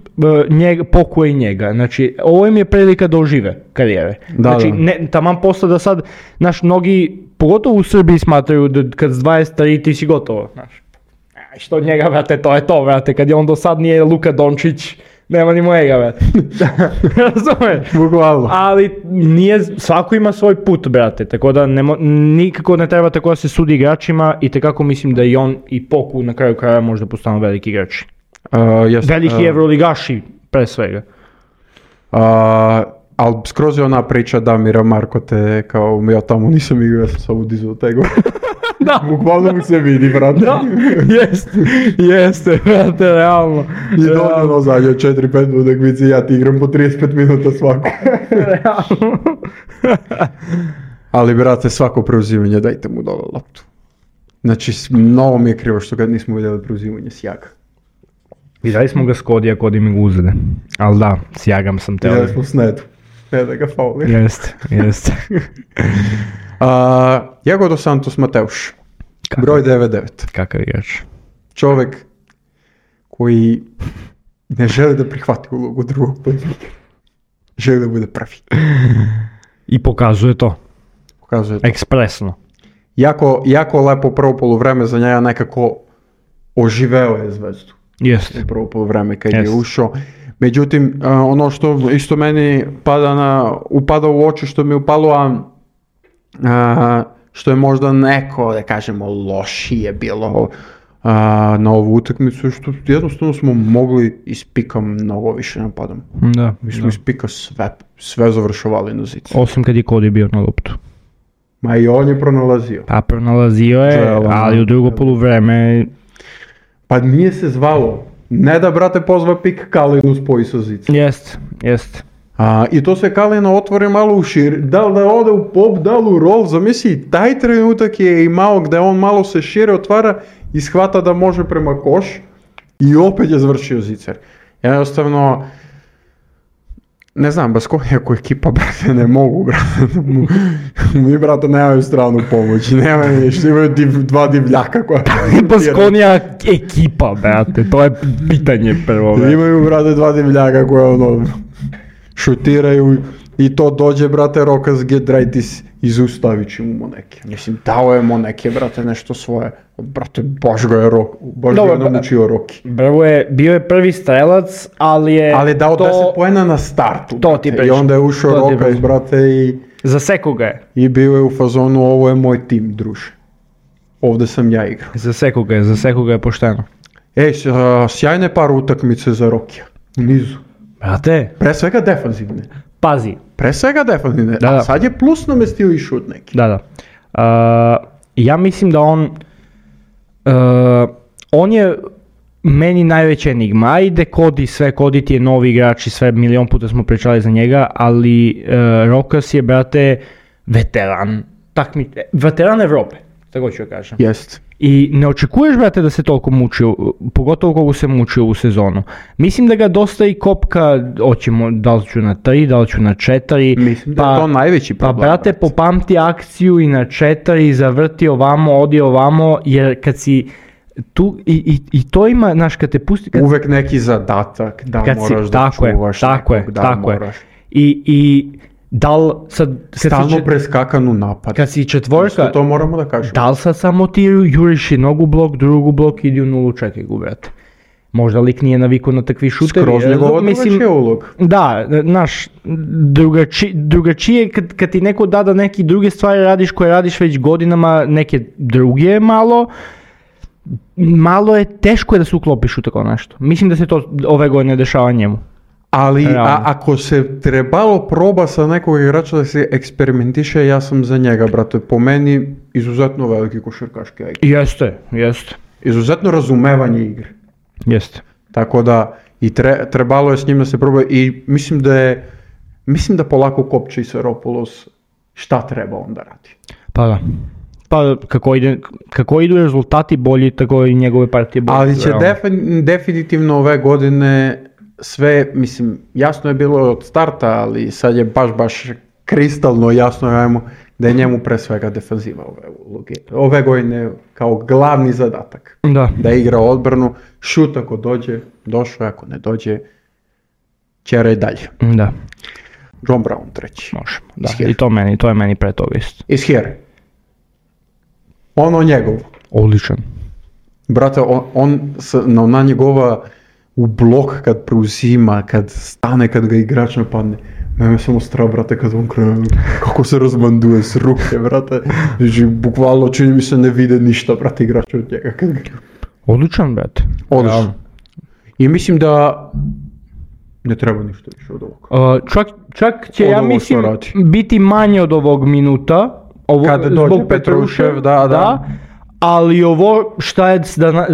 Speaker 2: njega, pokoja i njega, znači ovo im je prilika da ožive karijere.
Speaker 1: Da,
Speaker 2: znači
Speaker 1: da.
Speaker 2: ne, taman posle da sad, znaš, mnogi, pogotovo u Srbiji smatraju da kad s dvadeset tri ti si gotovo, znaš. Aj, što od njega, brate, to je to, brate, kad je on do sad nije Luka Dončić, nema ni mojega, brate. Razumeš?
Speaker 1: Bukvalno.
Speaker 2: Ali nije, svako ima svoj put, brate, tako da ne, mo- nikako ne treba tako da se sudi igračima i tekako mislim da i on i Poku na kraju kraja možda postanu veliki igrači.
Speaker 1: Uh, jest,
Speaker 2: Veliki
Speaker 1: uh,
Speaker 2: evroligaši, pre svega.
Speaker 1: uh, ali skroz je ona priča Damira Marko te kao ja tamo nisam igrao, ja sam samo dizao tego.
Speaker 2: Da.
Speaker 1: Bukvalno mu se vidi, brate.
Speaker 2: Da, jeste, jeste, brate, realno.
Speaker 1: I dođe ono zadnje četiri pet utakmice, ja ti igram po trideset pet minuta svako.
Speaker 2: Realno.
Speaker 1: Ali, brate, svako preuzimanje, dajte mu dole loptu. Znači, s- mnogo mi je krivo što ga nismo vidjeli preuzimanje Sjaga.
Speaker 2: Vidjeli smo ga s Kodija, Kodi mi ga uzede. Ali da, s Jagam sam teo.
Speaker 1: Vidjeli smo Snedu. Ne da ga fauli.
Speaker 2: Jeste, jeste.
Speaker 1: A, Iago dos Santos Mateuš.
Speaker 2: Kakav-
Speaker 1: Broj devedeset devet.
Speaker 2: Kakav igrač.
Speaker 1: Čovjek koji ne želi da prihvati ulogu drugog playmakera. Želi da bude prvi.
Speaker 2: I pokazuje to.
Speaker 1: Pokazuje to.
Speaker 2: Ekspresno.
Speaker 1: Jako, jako lepo prvo poluvreme za njega, nekako oživeo je Zvezdu.
Speaker 2: Jeste.
Speaker 1: U prvo poluvreme kad
Speaker 2: Jest.
Speaker 1: je ušao. Međutim, a, ono što isto meni pada na, upada u oči, što mi je upalo, a, a, što je možda neko, da kažemo, lošije bilo a, na ovu utakmicu, što jednostavno smo mogli iz pika mnogo više napadamo.
Speaker 2: Da.
Speaker 1: Mi smo
Speaker 2: da.
Speaker 1: iz pika sve, sve završavali na zicu.
Speaker 2: Osim kad je Kodi bio na loptu.
Speaker 1: Ma i on je pronalazio.
Speaker 2: Pa pronalazio je,
Speaker 1: Joel,
Speaker 2: ali u drugo
Speaker 1: ono,
Speaker 2: poluvreme
Speaker 1: Pa nije se zvalo. Ne da, brate, pozva pik Kalinu spoji sa zica.
Speaker 2: jest, jest.
Speaker 1: A, I to se Kalina otvori malo u šir, da li da ode u pop, da li u roll, zamisli, taj trenutak je imao gde on malo se šire otvara i shvata da može prema koš i opet je završio zicer. Jednostavno, ne znam, bez koja ako ekipa, brate, ne mogu, brate, mi, brate, nemaju stranu pomoći, nemaju ništa, imaju div, dva divljaka koja...
Speaker 2: Baskonija ekipa, brate, to je pitanje prvo. brate.
Speaker 1: Imaju, brate, dva divljaka koja ono šutiraju i to dođe, brate, Rokas Gedraitis i zaustavit će mu Moneke. Mislim, dao je Moneke, brate, nešto svoje. Brate, baš ga je, Rok, baš
Speaker 2: Dobro,
Speaker 1: ga je naučio Roki.
Speaker 2: Bravo je, bio je prvi strelac, ali je
Speaker 1: Ali je dao
Speaker 2: to...
Speaker 1: deset poena na startu.
Speaker 2: to ti
Speaker 1: brate, I
Speaker 2: pričam.
Speaker 1: onda je ušao
Speaker 2: To ti
Speaker 1: Rokas,
Speaker 2: pričam.
Speaker 1: brate, i,
Speaker 2: Zasekao ga je.
Speaker 1: i bio je u fazonu, ovo je moj tim, druže. Ovde sam ja igrao.
Speaker 2: Zasekao ga je, zasekao ga je pošteno.
Speaker 1: Ej, s- a, sjajne par utakmice za Rokija. U nizu.
Speaker 2: Brate,
Speaker 1: Pre svega defanzivne.
Speaker 2: pazi.
Speaker 1: Pre svega defanzivne.
Speaker 2: Da,
Speaker 1: A
Speaker 2: da.
Speaker 1: sad je plus namestio i šut neki.
Speaker 2: Da, da. Uh, ja mislim da on, uh, on je meni najveća enigma. Ajde, Kodi, sve, Kodi ti je novi igrač i sve, milion puta smo pričali za njega, ali uh, Rokas je, brate, veteran. Takmi, veteran Evrope, tako ću ja kažem.
Speaker 1: Jest.
Speaker 2: I ne očekuješ, brate, da se toliko muči, pogotovo koliko se muči u sezonu. Mislim da ga dosta i kopka, hoćemo, da li ću na tri, da li ću na četiri.
Speaker 1: Mislim da je to najveći
Speaker 2: Pa,
Speaker 1: problem.
Speaker 2: brate, popamti akciju i na četiri, zavrti ovamo, odi ovamo, jer kad si tu, i, i, i to ima, znaš, kad te pusti, kad,
Speaker 1: Uvek neki zadatak, da
Speaker 2: kad
Speaker 1: moraš
Speaker 2: si,
Speaker 1: da
Speaker 2: tako je,
Speaker 1: čuvaš
Speaker 2: tako
Speaker 1: nekog,
Speaker 2: je,
Speaker 1: da
Speaker 2: tako
Speaker 1: moraš.
Speaker 2: je. I, i da li sad, kad si,
Speaker 1: Stalno
Speaker 2: čet-
Speaker 1: preskakan u napad.
Speaker 2: kad si
Speaker 1: Isto
Speaker 2: četvorka,
Speaker 1: to moramo da kažemo.
Speaker 2: da li sad samo ti juriš jednog u blok, drugu blok, idi u nulu, čekaj gu, brate. Možda lik nije navikao na takvi šutevi.
Speaker 1: Skroz
Speaker 2: razum-
Speaker 1: njegova
Speaker 2: mislim,
Speaker 1: drugačija ulog.
Speaker 2: Da, znaš, drugači, drugačije kad, kad ti neko da da neki druge stvari radiš koje radiš već godinama, neke druge malo, malo je teško je da se uklopiš u tako nešto. Mislim da se to ove godine dešava njemu.
Speaker 1: Ali
Speaker 2: Realno.
Speaker 1: a, ako se trebalo proba sa nekog igrača da se eksperimentiše, ja sam za njega, brate. Po meni izuzetno veliki košarkaški I Q.
Speaker 2: Jeste, jeste,
Speaker 1: Izuzetno razumevanje igre.
Speaker 2: jeste.
Speaker 1: Tako da i tre, trebalo je s njim da se proba i mislim da je, mislim da polako kopče i Seropoulos šta treba on da radi.
Speaker 2: Pa da. Pa kako, ide, kako idu rezultati bolji, tako i njegove partije bolje.
Speaker 1: Ali će
Speaker 2: realno.
Speaker 1: defin- definitivno ove godine sve, mislim, jasno je bilo od starta, ali sad je baš, baš kristalno jasno ajmo, da je njemu pre svega defanziva ove uloge. Ove godine kao glavni zadatak.
Speaker 2: Da.
Speaker 1: Da igra odbranu, šut ako dođe, došao je, ako ne dođe, ćera i dalje.
Speaker 2: Da,
Speaker 1: John Brown treći.
Speaker 2: možemo. Da.
Speaker 1: Iz here.
Speaker 2: I to meni, to je meni pre toga isto.
Speaker 1: Iz here. Ono njegov.
Speaker 2: Odličan.
Speaker 1: Brate, on, on s- na, na njegova u blok kad preuzima, kad stane, kad ga igrač napadne. Mene samo strah, brate, kad on krene, kako se razmanduje s ruke, brate. Znači, bukvalno čini mi se ne vide ništa, brate, igrač od njega. Kad ga...
Speaker 2: Odličan, brate.
Speaker 1: Odlično.
Speaker 2: Realno.
Speaker 1: I mislim da ne treba ništa više od ovoga.
Speaker 2: Uh, čak, čak će,
Speaker 1: Od
Speaker 2: ja
Speaker 1: ovog što
Speaker 2: mislim,
Speaker 1: radi.
Speaker 2: biti manje od ovog minuta. Ovo,
Speaker 1: Kad dođe
Speaker 2: zbog
Speaker 1: Petrušev, da, da.
Speaker 2: Ali ovo šta je,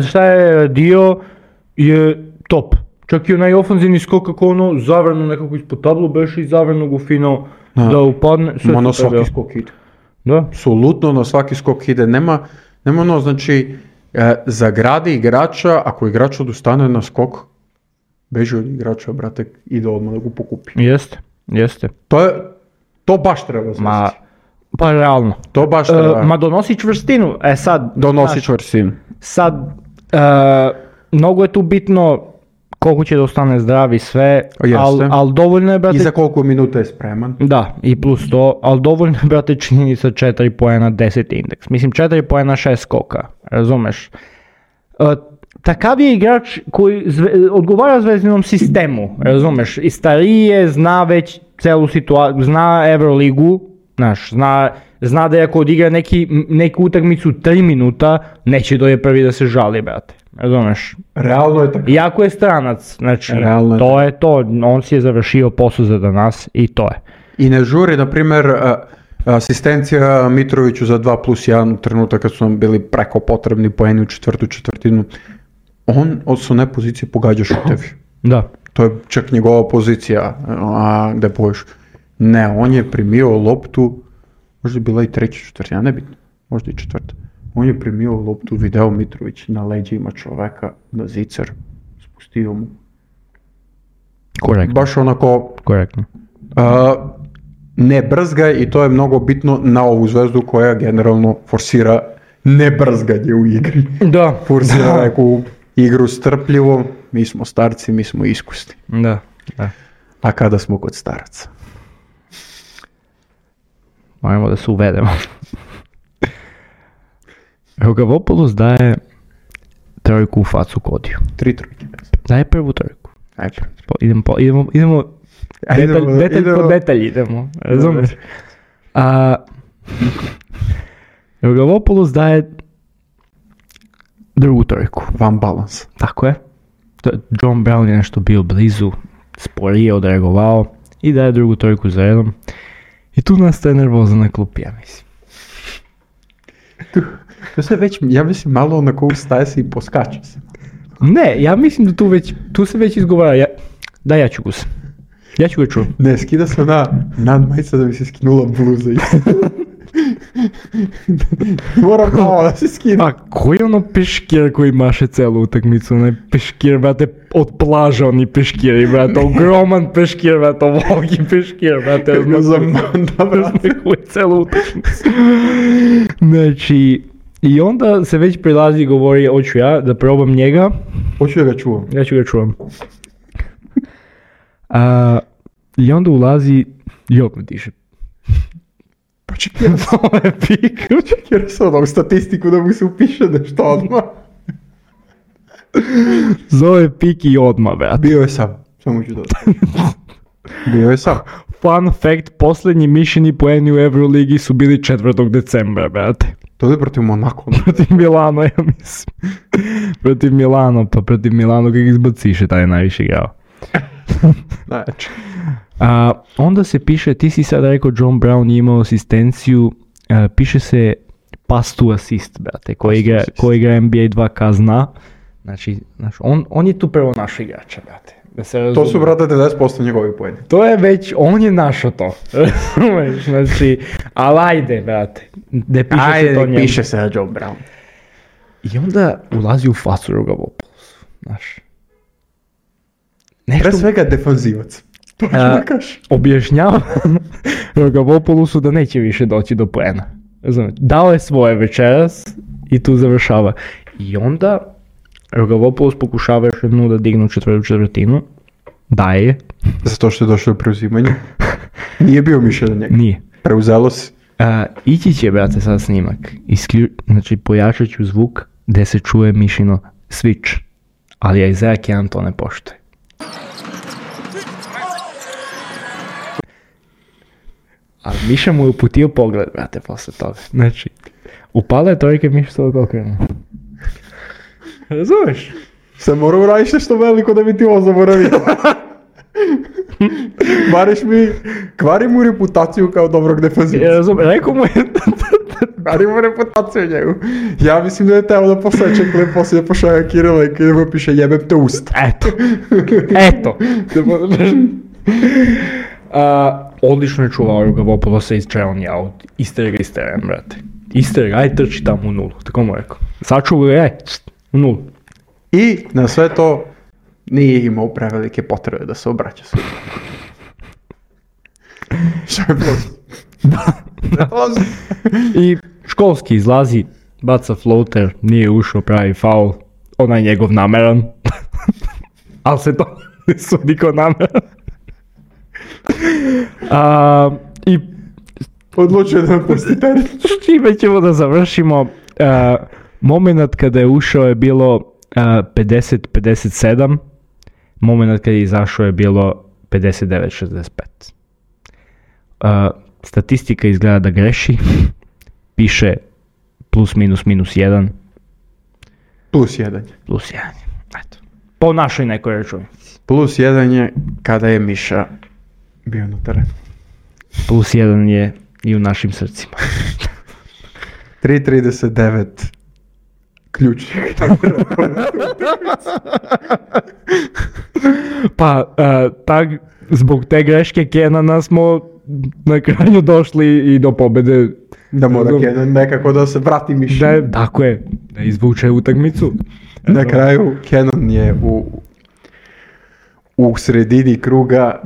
Speaker 2: šta je dio je top. Čak i onaj ofanzivni skok kako ono zavrnu nekako ispod tablu beše i zavrnu go fino da,
Speaker 1: Da.
Speaker 2: upadne. Sve
Speaker 1: Ma na
Speaker 2: super,
Speaker 1: svaki
Speaker 2: ja.
Speaker 1: skok ide.
Speaker 2: Da.
Speaker 1: Apsolutno na svaki skok ide. Nema, Nema ono, znači, e, zagradi igrača, ako igrač odustane na skok, beži od igrača, brate, ide odmah da ga pokupi.
Speaker 2: Jeste, jeste.
Speaker 1: To je, to baš treba zvesti.
Speaker 2: Ma, pa realno.
Speaker 1: To baš treba.
Speaker 2: E, ma donosi čvrstinu, e sad...
Speaker 1: Donosi
Speaker 2: znaš,
Speaker 1: čvrstinu.
Speaker 2: Sad, e, mnogo je tu bitno koliko će da ostane zdrav i sve, ali al dovoljno je, brate...
Speaker 1: I za koliko minuta je spreman.
Speaker 2: Da, i plus to, ali dovoljno je, brate, činjenica četiri poena, deset indeks. Mislim, četiri poena, šest skoka, razumeš? E, takav je igrač koji zve, odgovara zvezdinom sistemu, razumeš? I stariji je, zna već celu situaciju, zna Euroligu, znaš, zna, zna da je ako odigra neki, neku utakmicu tri minuta, neće doje prvi da se žali, brate. Razumeš?
Speaker 1: Realno je tako.
Speaker 2: Iako je stranac, znači,
Speaker 1: Realno
Speaker 2: to je to, on si je završio posao za danas i to je.
Speaker 1: I ne žuri, na primjer, asistencija Mitroviću za dva plus jedan u trenutak kad su nam bili preko potrebni poeni u četvrtu četvrtinu. On od su ne pozicije pogađa šutevi.
Speaker 2: Da.
Speaker 1: To je čak njegova pozicija, a gde poješ. Ne, on je primio loptu, možda je bila i treća četvrtina, nebitno, možda i četvrta. On je primio loptu, video Mitrović na leđima čoveka, na zicer, spustio mu.
Speaker 2: Korektno.
Speaker 1: Baš onako...
Speaker 2: Korektno.
Speaker 1: Uh, ne brzgaj i to je mnogo bitno na ovu zvezdu koja generalno forsira nebrzganje u igri.
Speaker 2: Da.
Speaker 1: Forsira neku igru strpljivo, mi smo starci, mi smo iskusni.
Speaker 2: Da, da.
Speaker 1: A kada smo kod staraca?
Speaker 2: Moramo da se uvedemo. Rogavopoulos daje trojku u facu Kodiju.
Speaker 1: Tri trojke.
Speaker 2: Daje prvu trojku.
Speaker 1: Ajde.
Speaker 2: Po, idemo, po, idemo, idemo,
Speaker 1: Ajde,
Speaker 2: detalj,
Speaker 1: idemo,
Speaker 2: detalj
Speaker 1: idemo.
Speaker 2: po detalj idemo, razumeš? A, Rogavopoulos daje drugu trojku.
Speaker 1: Van balans.
Speaker 2: Tako je. John Brown je nešto bio blizu, sporije odreagovao i daje drugu trojku za redom. I tu nastaje nervoza na klupi, ja mislim.
Speaker 1: Tu, tu se već, ja mislim, malo onako ustaje se i poskače se.
Speaker 2: Ne, ja mislim da tu već, tu se već izgovara, ja, da ja ću ga se. Ja ću ga čuo.
Speaker 1: Ne, skida se na nadmajica da bi se skinula bluza. Moram malo da se skida.
Speaker 2: A koji je ono peškir koji maše celu utakmicu? Onaj peškir, brate, od plaža oni peškiri, brate, ogroman peškir, brate, ovogi peškir, brate.
Speaker 1: Kako ga zamanda, brate.
Speaker 2: Koji celu utakmicu. Znači, i onda se već prilazi i govori, hoću ja da probam njega.
Speaker 1: Hoću da ga čuvam.
Speaker 2: Ja ću ga čuvam. A, I onda ulazi i opet diše.
Speaker 1: Pa čekaj,
Speaker 2: To je pik.
Speaker 1: čekaj, se ono u statistiku da mu se upiše nešto odmah.
Speaker 2: Zove pik i odmah, brate.
Speaker 1: Bio je sam, samo ću dodati. Bio je sam.
Speaker 2: Fun fact, posljednji mišljeni poeni u Euroligi su bili četvrtog decembra, brate.
Speaker 1: To je protiv Monako.
Speaker 2: Protiv Milano, ja mislim. Protiv Milano, pa protiv Milano kak izbaciše, taj je najviše igrao.
Speaker 1: Znači.
Speaker 2: A, onda se piše, ti si sad rekao John Brown je imao asistenciju, a, piše se pass to assist, brate, koji igra, koji igra N B A dva K zna. Znači, znači on, on je tu prvo naš igrača, brate. Da se razume.
Speaker 1: To su, brate, devedeset posto njegovi poeni.
Speaker 2: To je već, on je našao to. Razumeš, znači, ali ajde, brate. Ne piše
Speaker 1: Ajde,
Speaker 2: se to njemu.
Speaker 1: piše se na John Brown.
Speaker 2: I onda ulazi u facu Rogavopoulosu, znaš. Nešto
Speaker 1: Pre svega defanzivac. To ću da kažeš.
Speaker 2: objašnjava Rogavopoulosu da neće više doći do poena. Razumeš, dao je svoje večeras i tu završava. I onda Rogavopoulos pokušava još jednu da dignu četvrtu četvrtinu. Daje.
Speaker 1: Zato što je došlo do preuzimanja. Nije bio mišljen na njega.
Speaker 2: Nije.
Speaker 1: Preuzelo se.
Speaker 2: A, ići će, brate, sad snimak. Isklju... Znači, pojačat ću zvuk gdje se čuje Mišino switch. Ali Isaiah jedan to ne poštuje. Ali Miša mu je uputio pogled, brate, posle toga. Znači, upala je trojke, Miša se ovako okrenuo. Razumeš?
Speaker 1: Sam morao uradiš nešto veliko da bi ti ovo zaboravio. Kvariš mi, kvari mu reputaciju kao dobrog defanzivca.
Speaker 2: Razumeš, rekao mu je...
Speaker 1: Kvari mu reputaciju njegu. Ja mislim da je teo da poseče klip poslije pošalja Kirila i kada mu piše jebem te usta.
Speaker 2: Eto. Eto. A, odlično je čuvao Rogavopoulosa iz Čelnja, od isterega isteren, brate. Ister, aj trči tamo u nulu, tako mu rekao. Sačuvaj ga, aj, u nulu.
Speaker 1: I na sve to nije imao prevelike potrebe da se obraća sud. Što je plus? Da.
Speaker 2: I školski izlazi, baca floater, nije ušao, pravi faul, onaj njegov nameran. Ali se to ne sudi kao nameran. A, I
Speaker 1: Odlučio da me pusti teren.
Speaker 2: s čime ćemo da završimo. Uh, moment kada je ušao je bilo uh, pedeset pedeset sedam, moment kada je izašao je bilo pedeset devet šezdeset pet. Uh, statistika izgleda da greši, piše plus minus minus jedan.
Speaker 1: Plus jedan.
Speaker 2: Plus jedan. Eto. Po našoj nekoj računici.
Speaker 1: Plus jedan je kada je Miša bio na terenu.
Speaker 2: Plus jedan je i u našim srcima.
Speaker 1: tri trideset devet ključnih.
Speaker 2: Pa, uh, tak, zbog te greške Kenana smo na kraju došli i do pobede.
Speaker 1: Da mora Kenan nekako da se vrati Miša.
Speaker 2: Da, tako je, da izvuče utakmicu.
Speaker 1: Na kraju Kenan je u, u sredini kruga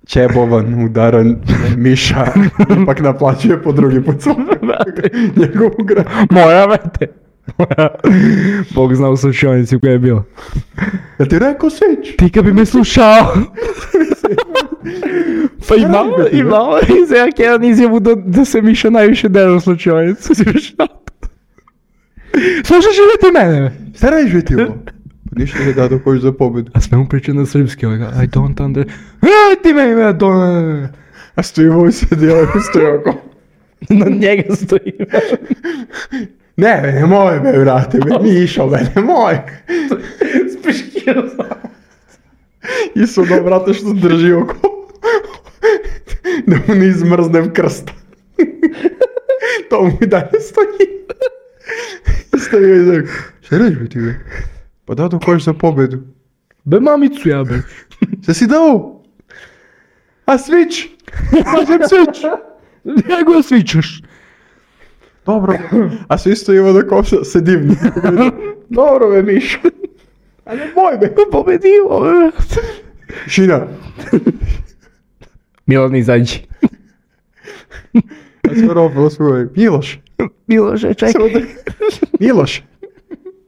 Speaker 1: čebovan, udaran, Miša ipak naplaćuje po drugi put njegovu gra.
Speaker 2: Moja, vrate. Moja. Bog zna u slučajnici koja je bila.
Speaker 1: Ja ti rekao Svić?
Speaker 2: Ti kad bi me slušao. Pa i malo, i malo, i za jak jedan izjavu da, da se Miša najviše dera u slučajnicu. Slušaš li ti mene?
Speaker 1: Šta radiš vi ti ovo? Pa ništa ne da dok hoćeš za pobedu.
Speaker 2: A sve mu priča na srpski, ovaj, I don't under... E, ti meni me to...
Speaker 1: A stoji ovo sedi, ovaj stoji oko.
Speaker 2: Na njega stoji.
Speaker 1: Ne, be, nemoj me, vrate, be, Mišo, be, nemoj.
Speaker 2: Spiškio sam.
Speaker 1: I su da, vrate, što drži oko. Da mu ne izmrznem krsta. To mu i dalje stoji. Stoji i znači, šta radiš be ti, be? Pa da dok hoćeš za pobedu.
Speaker 2: Be mamicu ja, be.
Speaker 1: Šta si dao? A Svić? Kažem Svić.
Speaker 2: Njego ja svičaš.
Speaker 1: Dobro. A svi stojimo da koša se divni. Dobro be, Mišo. A ne boj be.
Speaker 2: Pobedio, be.
Speaker 1: Šina.
Speaker 2: Milan izađi.
Speaker 1: A sve ropilo svoj. Miloš.
Speaker 2: Miloše, čekaj.
Speaker 1: Miloš.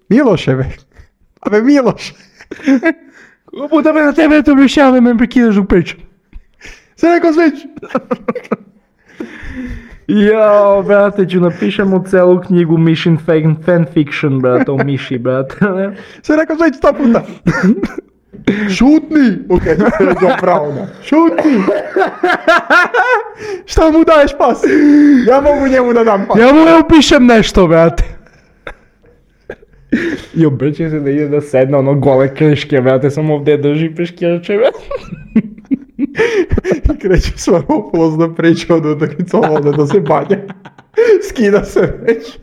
Speaker 1: Miloše be. A be Miloš.
Speaker 2: Puta me na tebe to objašnjavam, me prekidaš dok pričam.
Speaker 1: Sve rekao Svić.
Speaker 2: Jao, brate, ću napišemo celu knjigu Mission fan, fanfiction, brate, o Miši, brate.
Speaker 1: Sve rekao Svić sto puta. Šutni. Ok, to je pravo, da. Šutni. Šta mu daješ pas? Ja mogu njemu da dam pas.
Speaker 2: Ja mu evo pišem nešto, brate. I obrće se da ide da sedne ono gole kreške, brate, samo ovdje drži peškirače, brate.
Speaker 1: I kreće Svaropoulos da priča od utakmice, ovdje da se banja. Skida se već.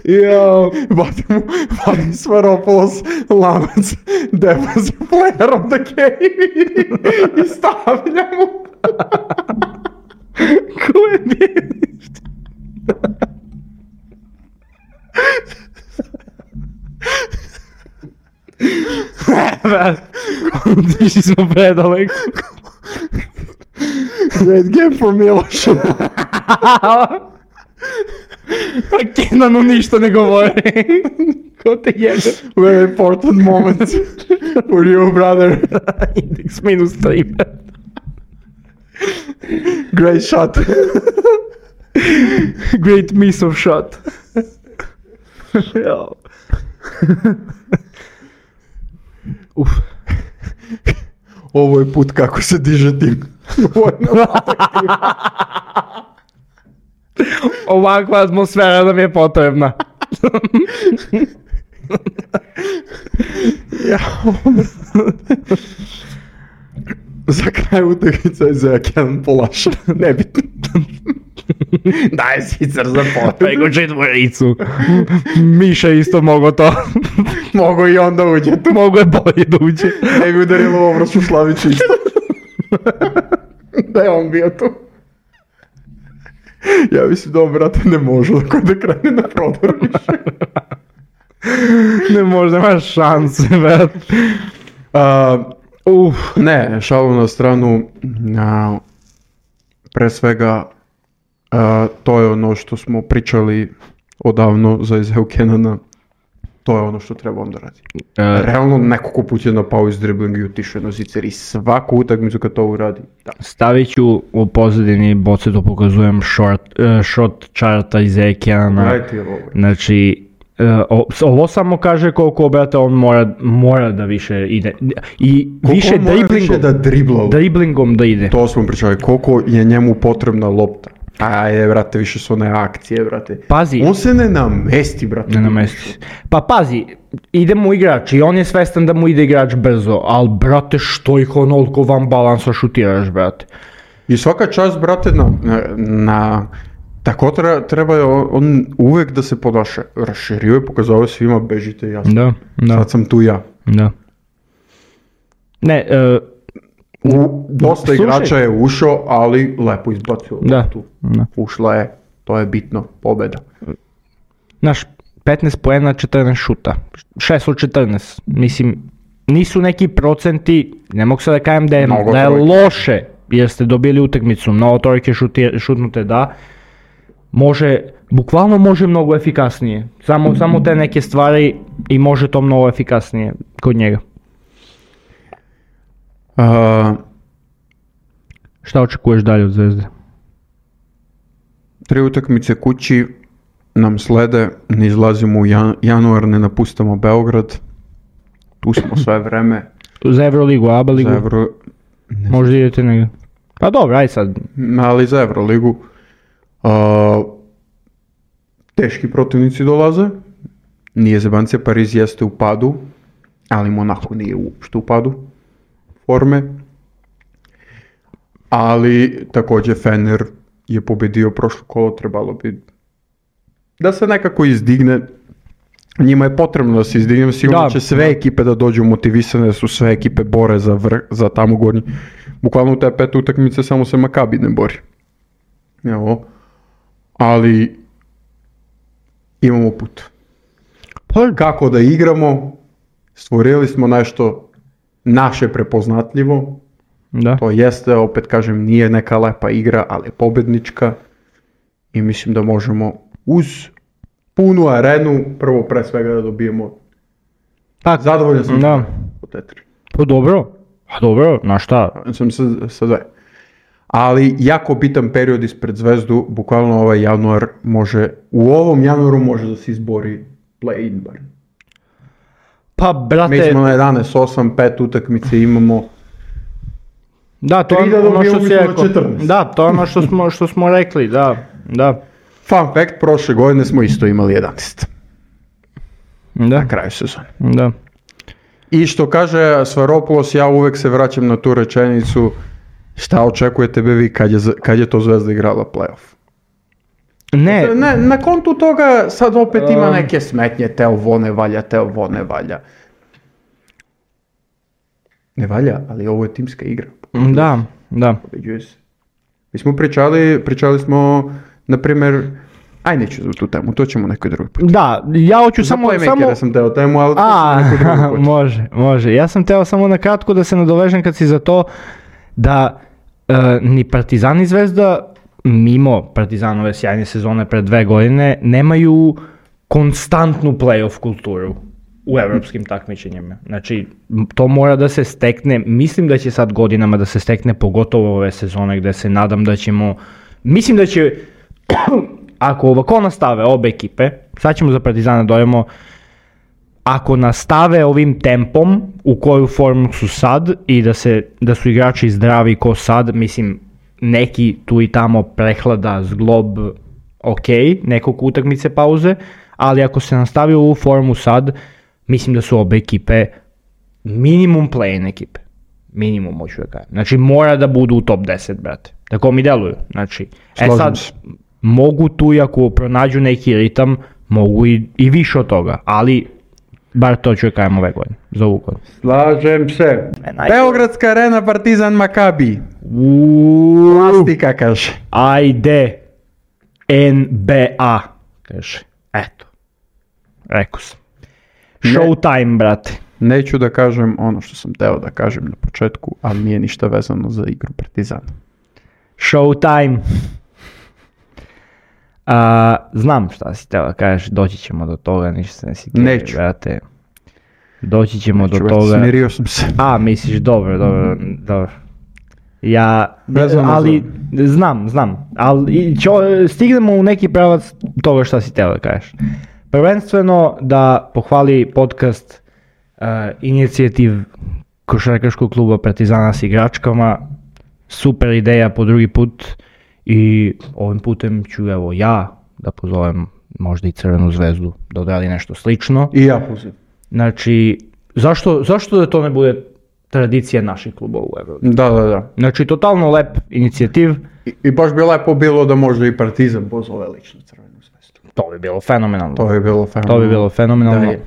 Speaker 2: Jao.
Speaker 1: Vadi mu, vadi Svaropoulos lanac Devils player of the game i stavlja mu.
Speaker 2: Ko je bijelište? Otišli smo predaleko.
Speaker 1: Great game for Miloš.
Speaker 2: A Kenanu ništa ne govori. Ko te jebe?
Speaker 1: Very important moments for you, brother.
Speaker 2: Index minus tri.
Speaker 1: Great shot.
Speaker 2: Great miss of shot. Jao. Uf.
Speaker 1: Ovo je put kako se diže tim.
Speaker 2: Ovakva atmosfera nam je potrebna.
Speaker 1: Ja. Za kraj utakmice je za Kenan Polaša. Nebitno.
Speaker 2: Daj sicer za potpegu četvoricu. Miša isto mogo to.
Speaker 1: Mogu i onda uđe tu.
Speaker 2: Mogo je bolje da uđe.
Speaker 1: Ne bi udarilo u obraz u Slavić isto. Da je on bio tu. Ja mislim da on, brate, ne može dok da krene na prodor više.
Speaker 2: Ne može, nemaš šanse, brate.
Speaker 1: Uh, ne, šalu na stranu, uh, pre svega uh, to je ono što smo pričali odavno za Isaiah Cannona, to je ono što treba on da radi. Uh, Realno nekoliko puta je napao iz driblinga i otišao na zicer i svaku utakmicu kad to uradi. Da.
Speaker 2: Stavit ću u pozadini, boce to pokazujem, short, uh, short charta Isaiah Cannona. Znači, Uh, ovo samo kaže koliko, brate, on mora, mora da više ide i koliko više driblingom
Speaker 1: da, dribla,
Speaker 2: driblingom da ide.
Speaker 1: To smo pričali, koliko je njemu potrebna lopta. Ajde, brate, više su one akcije, brate.
Speaker 2: Pazi.
Speaker 1: On se ne namesti, brate.
Speaker 2: Ne namesti. Pa pazi, ide mu igrač i on je svestan da mu ide igrač brzo, ali, brate, što ih onoliko van balansa šutiraš, brate.
Speaker 1: I svaka čast, brate, na... na, na tako treba, treba on, on uvek da se ponaša. Raširio je, pokazao svima, bežite jasno.
Speaker 2: Da, da.
Speaker 1: Sad sam tu ja.
Speaker 2: Da. Ne, uh,
Speaker 1: U, dosta slušaj. Igrača je ušao, ali lepo izbacio.
Speaker 2: Da, da.
Speaker 1: Ušla je, to je bitno, pobeda.
Speaker 2: Znaš, petnaest poena, četrnaest šuta. šest od četrnaest. Mislim, nisu neki procenti, ne mogu sad da kajem da je, da je loše, jer ste dobili utakmicu, mnogo trojke šutnute, da. Može, bukvalno može mnogo efikasnije. Samo, samo te neke stvari i može to mnogo efikasnije kod njega.
Speaker 1: Uh,
Speaker 2: Šta očekuješ dalje od Zvezde?
Speaker 1: Tri utakmice kući nam slede, ne izlazimo u jan, januar, ne napustamo Beograd. Tu smo sve vreme.
Speaker 2: Za Euroligu, A B A ligu?
Speaker 1: Za Euro...
Speaker 2: Možda idete negdje. Pa dobro, aj sad.
Speaker 1: Ali za Euroligu. Uh, teški protivnici dolaze, nije zebancija, Pariz jeste u padu, ali Monaco nije uopšte u padu forme, ali također Fener je pobedio prošlo kolo, trebalo bi da se nekako izdigne, njima je potrebno da se izdigne, sigurno će sve ekipe da dođu motivisane, da su sve ekipe bore za, vrh, za tamo gornji, bukvalno u te pet utakmice samo se Makabi ne bori. Evo. Ali imamo put. Pa kako da igramo, stvorili smo nešto naše prepoznatljivo.
Speaker 2: Da.
Speaker 1: To jeste, opet kažem, nije neka lepa igra, ali je pobednička. I mislim da možemo uz punu arenu, prvo pre svega da dobijemo.
Speaker 2: Tak,
Speaker 1: zadovoljan sam
Speaker 2: da.
Speaker 1: Po tetri.
Speaker 2: Pa dobro, a dobro, na šta?
Speaker 1: Sam sa, sa dve. Ali jako bitan period ispred Zvezdu, bukvalno ovaj januar može, u ovom januaru može da se izbori play-in bar.
Speaker 2: Pa brate...
Speaker 1: Mi smo na jedanaest osam, pet utakmice imamo.
Speaker 2: Da, to je ono što si rekao. Da, to je ono što smo, što smo rekli, da, da.
Speaker 1: Fun fact, prošle godine smo isto imali jedanaest.
Speaker 2: Da.
Speaker 1: Na kraju sezone.
Speaker 2: Da.
Speaker 1: I što kaže Svaropoulos, ja uvek se vraćam na tu rečenicu, šta očekujete be vi kad je, kad je to Zvezda igrala play-off?
Speaker 2: Ne.
Speaker 1: ne. Na kontu toga sad opet ima neke smetnje, te ovo ne valja, te ovo ne valja. Ne valja, ali ovo je timska igra.
Speaker 2: Da, da.
Speaker 1: Pobeđuje se. Mi smo pričali, pričali smo, na primjer, aj neću za tu temu, to ćemo nekoj drugi put.
Speaker 2: Da, ja hoću
Speaker 1: za
Speaker 2: samo...
Speaker 1: Za
Speaker 2: samo...
Speaker 1: sam teo temu, ali to
Speaker 2: A,
Speaker 1: ćemo nekoj drugi put.
Speaker 2: Može, može. Ja sam teo samo na kratko da se nadovežem kad si za to da uh, ni Partizan i Zvezda, mimo Partizanove sjajne sezone pred dve godine, nemaju konstantnu play-off kulturu u evropskim takmičenjima. Znači, to mora da se stekne, mislim da će sad godinama da se stekne, pogotovo ove sezone gde se nadam da ćemo, mislim da će, ako ovako nastave obe ekipe, sad ćemo za Partizana dojemo, ako nastave ovim tempom u koju formu su sad i da, se, da su igrači zdravi ko sad, mislim, neki tu i tamo prehlada, zglob, ok, nekog utakmice pauze, ali ako se nastavi ovu formu sad, mislim da su obe ekipe minimum play-in ekipe. Minimum, hoću da kažem. Znači, mora da budu u top deset, brate. Tako mi deluju. Znači, e sad, mogu tu i ako pronađu neki ritam, mogu i, i više od toga, ali bar to ću da kažem ove godine, za ovu godinu.
Speaker 1: Slažem se.
Speaker 2: Naj...
Speaker 1: Beogradska arena, Partizan, Makabi.
Speaker 2: Uuuu.
Speaker 1: Plastika, kaže.
Speaker 2: Ajde. N B A, kaže. Eto. Rekao sam. Showtime, brate.
Speaker 1: Neću da kažem ono što sam teo da kažem na početku, ali nije ništa vezano za igru Partizana.
Speaker 2: Showtime. A, znam šta si teo da kažeš, doći ćemo do toga, ništa se ne sikiri,
Speaker 1: Neću.
Speaker 2: brate. Doći ćemo
Speaker 1: Neću,
Speaker 2: do
Speaker 1: brate,
Speaker 2: toga.
Speaker 1: Smirio sam se.
Speaker 2: A, misliš, dobro, dobro, dobro. Ja,
Speaker 1: Vezano
Speaker 2: ali, znam, znam, ali čo, stignemo u neki pravac toga šta si teo da kažeš. Prvenstveno da pohvali podcast uh, inicijativ košarkaškog kluba Partizana s igračkama, super ideja po drugi put i ovim putem ću evo ja da pozovem možda i Crvenu zvezdu da odradi nešto slično.
Speaker 1: I ja pozivam.
Speaker 2: Znači, zašto, zašto da to ne bude tradicija naših klubova u Euroligi?
Speaker 1: Da, da, da.
Speaker 2: Znači, totalno lep inicijativ.
Speaker 1: I, i baš bi lepo bilo da možda i Partizan pozove lično Crvenu zvezdu.
Speaker 2: To bi bilo fenomenalno.
Speaker 1: To bi bilo fenomenalno.
Speaker 2: To bi bilo fenomenalno.
Speaker 1: Da je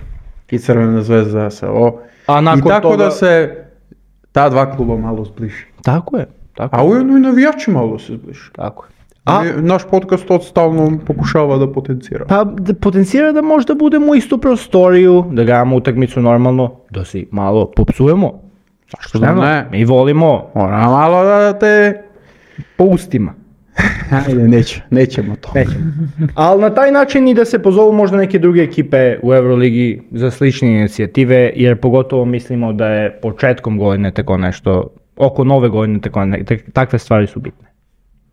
Speaker 1: i Crvena zvezda se ovo.
Speaker 2: A nakon
Speaker 1: I tako
Speaker 2: toga...
Speaker 1: da se ta dva kluba malo zbliži.
Speaker 2: Tako je. Tako
Speaker 1: A ujedno i navijači malo se zbliži.
Speaker 2: Tako je.
Speaker 1: A
Speaker 2: A-
Speaker 1: naš podcast to stalno pokušava da potencira.
Speaker 2: Pa da potencira da možda budemo u istu prostoriju, da gledamo utakmicu normalno, da si malo popsujemo.
Speaker 1: Zašto da ne?
Speaker 2: Mi volimo
Speaker 1: Mora malo da te...
Speaker 2: po ustima.
Speaker 1: Ajde, neće, nećemo to.
Speaker 2: Nećemo. Ali na taj način i da se pozovu možda neke druge ekipe u Euroligi za slične inicijative, jer pogotovo mislimo da je početkom godine tako nešto, oko nove godine tako ne, tak- takve stvari su bitne.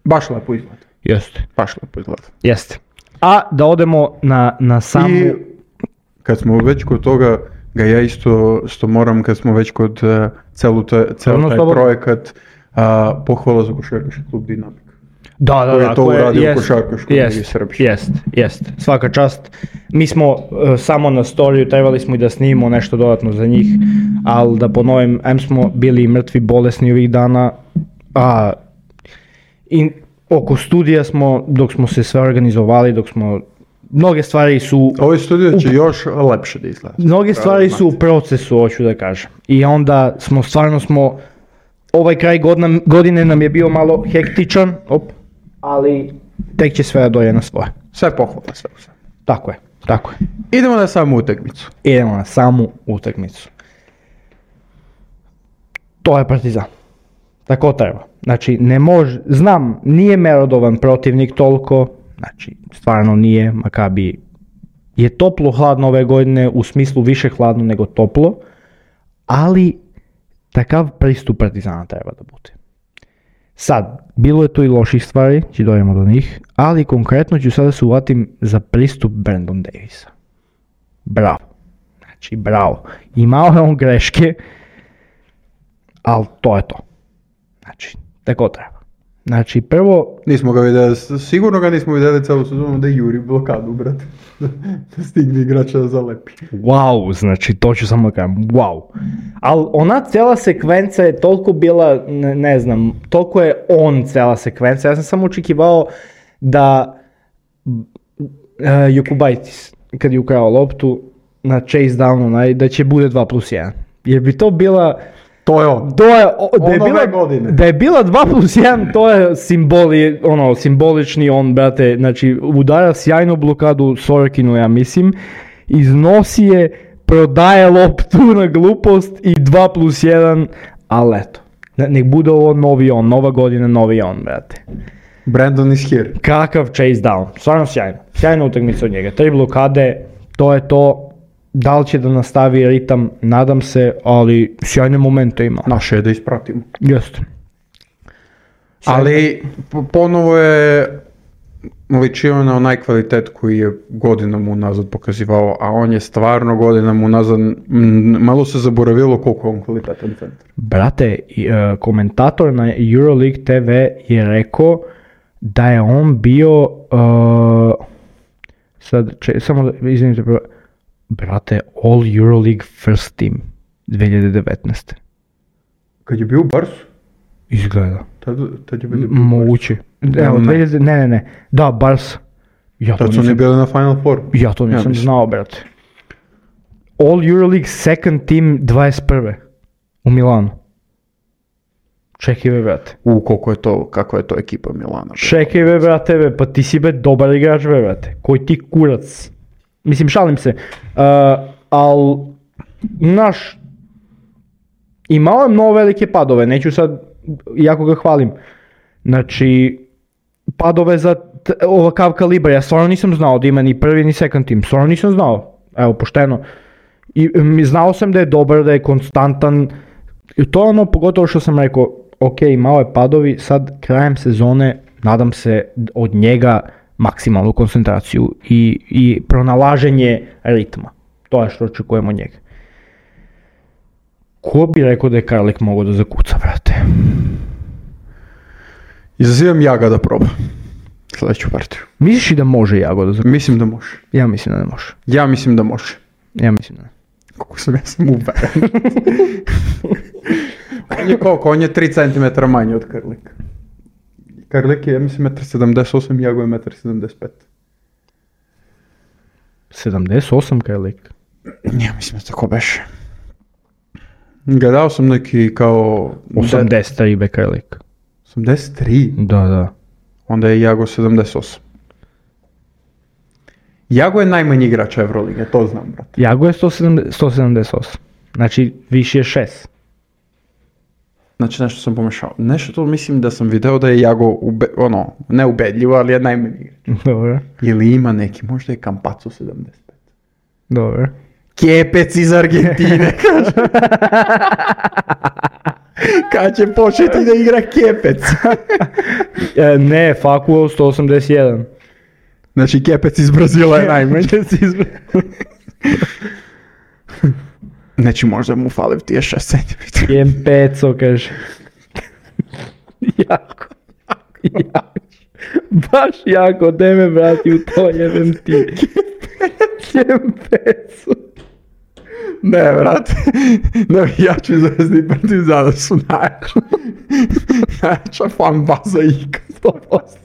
Speaker 1: Baš lepo izgleda.
Speaker 2: Jeste.
Speaker 1: Baš lepo izgleda.
Speaker 2: Jeste. A da odemo na, na samu...
Speaker 1: I kad smo već kod toga, ga ja isto, isto moram, kad smo već kod uh, celu ta, cel
Speaker 2: Slobodno,
Speaker 1: taj
Speaker 2: slobodno.
Speaker 1: projekat, uh, pohvala za košarkaški klub Dinamik.
Speaker 2: Da, da,
Speaker 1: koji je
Speaker 2: da,
Speaker 1: to
Speaker 2: koje-
Speaker 1: uradio u
Speaker 2: jest,
Speaker 1: košarkaškoj
Speaker 2: jest,
Speaker 1: ligi Srbije.
Speaker 2: Jest, jest, svaka čast. Mi smo uh, samo na storiju, trebali smo i da snimimo nešto dodatno za njih, ali da ponovim, em smo bili mrtvi, bolesni ovih dana, a i oko studija smo, dok smo se sve organizovali, dok smo, mnoge stvari su,
Speaker 1: Ovaj studio će još lepše da izgleda.
Speaker 2: mnoge stvari su u procesu, hoću da kažem. I onda smo, stvarno smo, ovaj kraj godina, godine nam je bio malo hektičan, op, ali tek će sve da doje na svoje.
Speaker 1: Sve pohvala, sve u sve.
Speaker 2: Tako je, tako je.
Speaker 1: Idemo na samu utakmicu.
Speaker 2: Idemo na samu utakmicu. To je Partizan. Tako treba. Znači, ne može, znam, nije merodovan protivnik toliko, znači, stvarno nije, Makabi je toplo hladno ove godine, u smislu više hladno nego toplo, ali takav pristup Partizana treba da bude. Sad, bilo je tu i loših stvari, će dojemo do njih, ali konkretno ću sada se uvatim za pristup Brandon Davisa. Bravo. Znači, bravo. Imao je on greške, ali to je to. Znači, tako treba. Znači, prvo,
Speaker 1: Nismo ga vidjeli, sigurno ga nismo vidjeli celu sezonu da juri blokadu, brate. Da stigne igrača da zalepi.
Speaker 2: wow, znači, to ću samo da kažem, wow. Ali ona cijela sekvenca je toliko bila, ne, ne znam, toliko je on cijela sekvenca, ja sam samo očekivao da uh, Jokubaitis, kad je ukrao loptu na chase down onaj, da će bude dva plus jedan. Jer bi to bila...
Speaker 1: To je on.
Speaker 2: To je, o, da, je
Speaker 1: On ove
Speaker 2: bila,
Speaker 1: godine.
Speaker 2: da je bila dva plus jedan, to je simboli, ono, simbolični on, brate, znači udara sjajnu blokadu Sorokinu, ja mislim, iznosi je, prodaje loptu na glupost i dva plus jedan, ali eto, ne- nek bude ovo novi on, nova godina, novi on, brate.
Speaker 1: Brandon is here.
Speaker 2: Kakav chase down, stvarno sjajno, sjajna utakmica od njega, tri blokade, to je to. Da li će da nastavi ritam, nadam se, ali sjajne momente ima.
Speaker 1: Naše je da ispratimo.
Speaker 2: Jeste.
Speaker 1: Ali po- ponovo je ličio na onaj kvalitet koji je godinama unazad pokazivao, a on je stvarno godinama unazad, m, malo se zaboravilo koliko je on kvalitetan centar.
Speaker 2: Brate, i, e, komentator na Euroleague te ve je rekao da je on bio, e, sad, če, samo da, izvinite, prvo, brate, All Euroleague First Team dvije hiljade devetnaeste.
Speaker 1: Kad je bio u Barsu,
Speaker 2: Izgleda.
Speaker 1: tad, tad je bio u Barsu.
Speaker 2: Moguće. Evo,
Speaker 1: Ne.
Speaker 2: dvije hiljade ne, ne, ne. Da, Bars. Ja to
Speaker 1: Tad su oni
Speaker 2: nisam,
Speaker 1: bili na Final Four.
Speaker 2: ja to
Speaker 1: Ja
Speaker 2: nisam
Speaker 1: mislim.
Speaker 2: znao, brate. All Euroleague Second Team dvadeset prve u Milanu. Čekaj be, brate.
Speaker 1: U, koliko je to, kako je to ekipa Milana. Be.
Speaker 2: Čekaj be, brate, be, pa ti si be dobar igrač be, brate. Koji ti kurac. Mislim, šalim se. Uh, al, naš, imao je mnogo velike padove, neću sad, jako ga hvalim. Znači, padove za t- ovakav kalibar, ja stvarno nisam znao da ima ni prvi ni second team, stvarno nisam znao, evo, pošteno. I m, znao sam da je dobar, da je konstantan, i to je ono, pogotovo što sam rekao, ok, malo je padovi, sad krajem sezone, nadam se od njega maksimalnu koncentraciju i, i pronalaženje ritma, to je što očekujemo od njega. Ko bi rekao da je Karlik mogao da zakuca, brate?
Speaker 1: Izazivam Jaga da proba sljedeću partiju.
Speaker 2: Misliš i da može Jago da zakuca?
Speaker 1: Mislim da može.
Speaker 2: Ja mislim da ne može.
Speaker 1: Ja mislim da može.
Speaker 2: Ja mislim da ne.
Speaker 1: Koliko sam ja sam uveren. On je koliko? On je tri centimetra manji od Karlika. Karlik je, ja mislim, jedan sedamdeset osam, Jago je jedan sedamdeset pet.
Speaker 2: sedamdeset osam Karlik?
Speaker 1: Ja mislim da tako beše. Gledao sam neki kao...
Speaker 2: osamdeset tri be Karlik.
Speaker 1: osamdeset tri?
Speaker 2: Da, da.
Speaker 1: Onda je Jago sedamdeset osam. Jago je najmanji igrač Evrolige, to znam, brate.
Speaker 2: Jago je sto sedamdeset osam. Znači, više je šest.
Speaker 1: Znači, nešto sam pomešao. Nešto to mislim da sam video da je Jago, ube, ono, ne ubedljivo, ali je najmanji igrač.
Speaker 2: Dobro.
Speaker 1: Ili ima neki, možda je Campazzo sedamdeset pet.
Speaker 2: Dobro.
Speaker 1: Kepec iz Argentine, kaže. Kad će početi da igra Kepec?
Speaker 2: E, ne, Facuo sto osamdeset jedan.
Speaker 1: Znači, Kepec iz Brazila je najmanji. Znači, možda mu fali ti je šest centimetra.
Speaker 2: Jem peco, kaže. Jako. Jako. Baš jako, daj me brati u to, jebem ti. Jem peco.
Speaker 1: Ne, brate. Navijači Zvezde i Partizana su najjači. Najjača fan baza ikad. sto posto.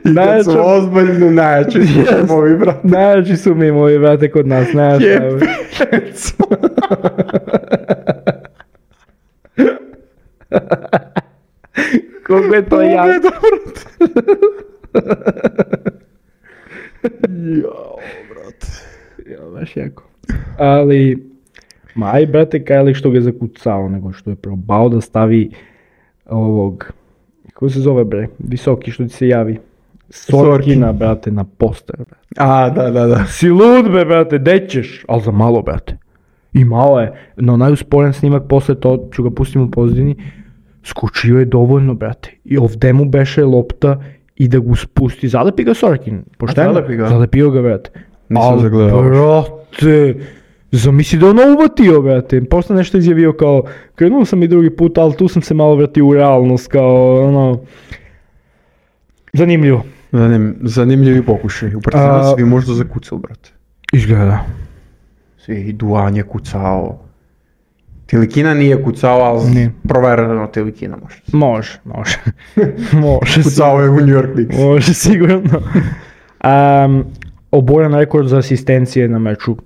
Speaker 1: I kad su ozbiljno najjači su moji, brate.
Speaker 2: Najjači su mi moji, brate, kod nas. Najjači.
Speaker 1: Jepeco.
Speaker 2: Koliko je to jako.
Speaker 1: Pobjeda, brate. Jao, brate.
Speaker 2: Ja, baš jako. Ali, ma aj, brate, Karlik što ga je zakucao, nego što je probao da stavi ovog, kako se zove, bre, visoki što ti se javi. Sorkina, brate, na poster, brate.
Speaker 1: A, da, da, da.
Speaker 2: Si lud, be, brate, dećeš, ali za malo, brate. I malo je, no najusporen snimak posle to, ću ga pustim u pozadini, skočio je dovoljno, brate. I ovde mu beše lopta i da ga spusti, zalepi ga Sorkin, pošteno?
Speaker 1: zalepi ga?
Speaker 2: Zalepio ga, brate.
Speaker 1: Nisam
Speaker 2: Al,
Speaker 1: zagledao.
Speaker 2: brate, zamisli da ono uvatio, brate. Posle nešto izjavio kao, krenuo sam i drugi put, ali tu sam se malo vratio u realnost, kao, ono, zanimljivo.
Speaker 1: Zanim, zanimljivi pokušaj. U Partizanu
Speaker 2: A-
Speaker 1: svi možda zakucali, brate.
Speaker 2: Izgleda.
Speaker 1: Svi i Duan je kucao. Tilikina nije kucao, ali
Speaker 2: Nije.
Speaker 1: provereno Tilikina može.
Speaker 2: Može, može. može.
Speaker 1: Kucao je u New York Knicks.
Speaker 2: Može, sigurno. Um, oboren rekord za asistencije na meču.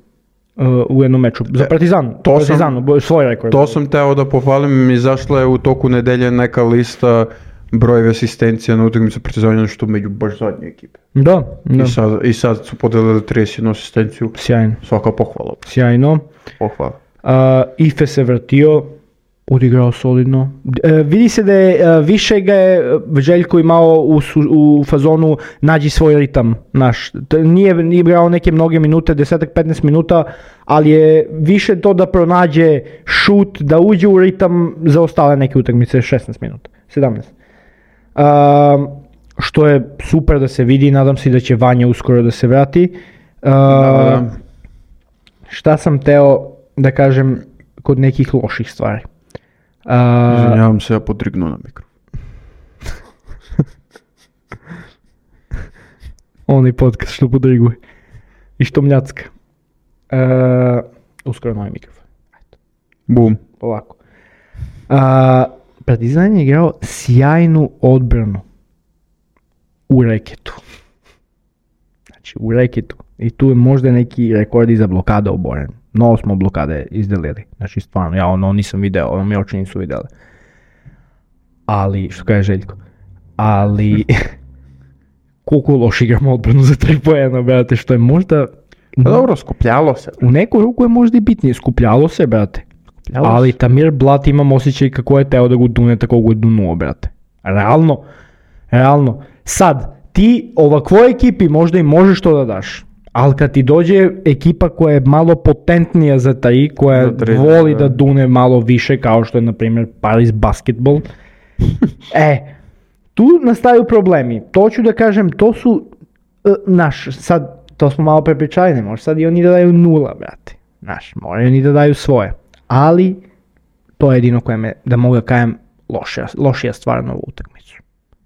Speaker 2: Uh, u jednom meču. Za
Speaker 1: E,
Speaker 2: Partizan.
Speaker 1: to
Speaker 2: Partizan,
Speaker 1: sam-
Speaker 2: obo- svoj rekord.
Speaker 1: To sam teo da pohvalim, izašla je u toku nedelje neka lista brojevi asistencija na utakmicu Partizana, što među baš zadnje ekipe.
Speaker 2: Da, da.
Speaker 1: I sad, I sad su podelili trideset jednu asistenciju.
Speaker 2: Sjajno.
Speaker 1: Svaka pohvala.
Speaker 2: Sjajno.
Speaker 1: Pohvala.
Speaker 2: Uh, Ife se vratio, odigrao solidno. E, vidi se da je e, više ga je Željko imao u, su- u fazonu nađi svoj ritam naš. T- Nije, nije igrao neke mnoge minute, deset do petnaest minuta, ali je više to da pronađe šut, da uđe u ritam za ostale neke utakmice, šesnaest minuta, sedamnaest. Um, što je super da se vidi, nadam se da će Vanja uskoro da se vrati. Uh,
Speaker 1: Da,
Speaker 2: Šta sam teo da kažem kod nekih loših stvari. Uh,
Speaker 1: Izvinjavam se, ja podrignu na mikro.
Speaker 2: onaj podcast što podriguje i što mljacka. Uh, uskoro novi mikrofon.
Speaker 1: Bum.
Speaker 2: Ovako. Uh, Partizan je igrao sjajnu odbranu u reketu. Znači u reketu. I tu je možda neki rekordi za blokada oboren. Mnogo smo blokade izdelili. Znači stvarno, ja ono nisam video, ono mi oči nisu vidjeli. ali, što kaže Željko, ali koliko loš igramo odbranu za tri poena, brate, što je možda...
Speaker 1: Pa dobro, skupljalo se.
Speaker 2: U neku ruku je možda i bitnije, skupljalo se, brate. Skupljalo ali se. Tamir Blat imam osjećaj kako je teo da go dune, tako go je dunuo, brate. Realno, realno. Sad, ti ovakvoj ekipi možda i možeš to da daš, ali kad ti dođe ekipa koja je malo potentnija za taj, koja da voli da dune malo više, kao što je, na primjer, Paris Basketball, e, tu nastaju problemi. To ću da kažem, to su, uh, naš, sad, to smo malo prepričali, ne može sad i oni da daju nula, brate. Znaš, moraju oni da daju svoje. Ali, to je jedino koje me, da mogu da kajem, lošija, lošija stvar na ovu utakmicu.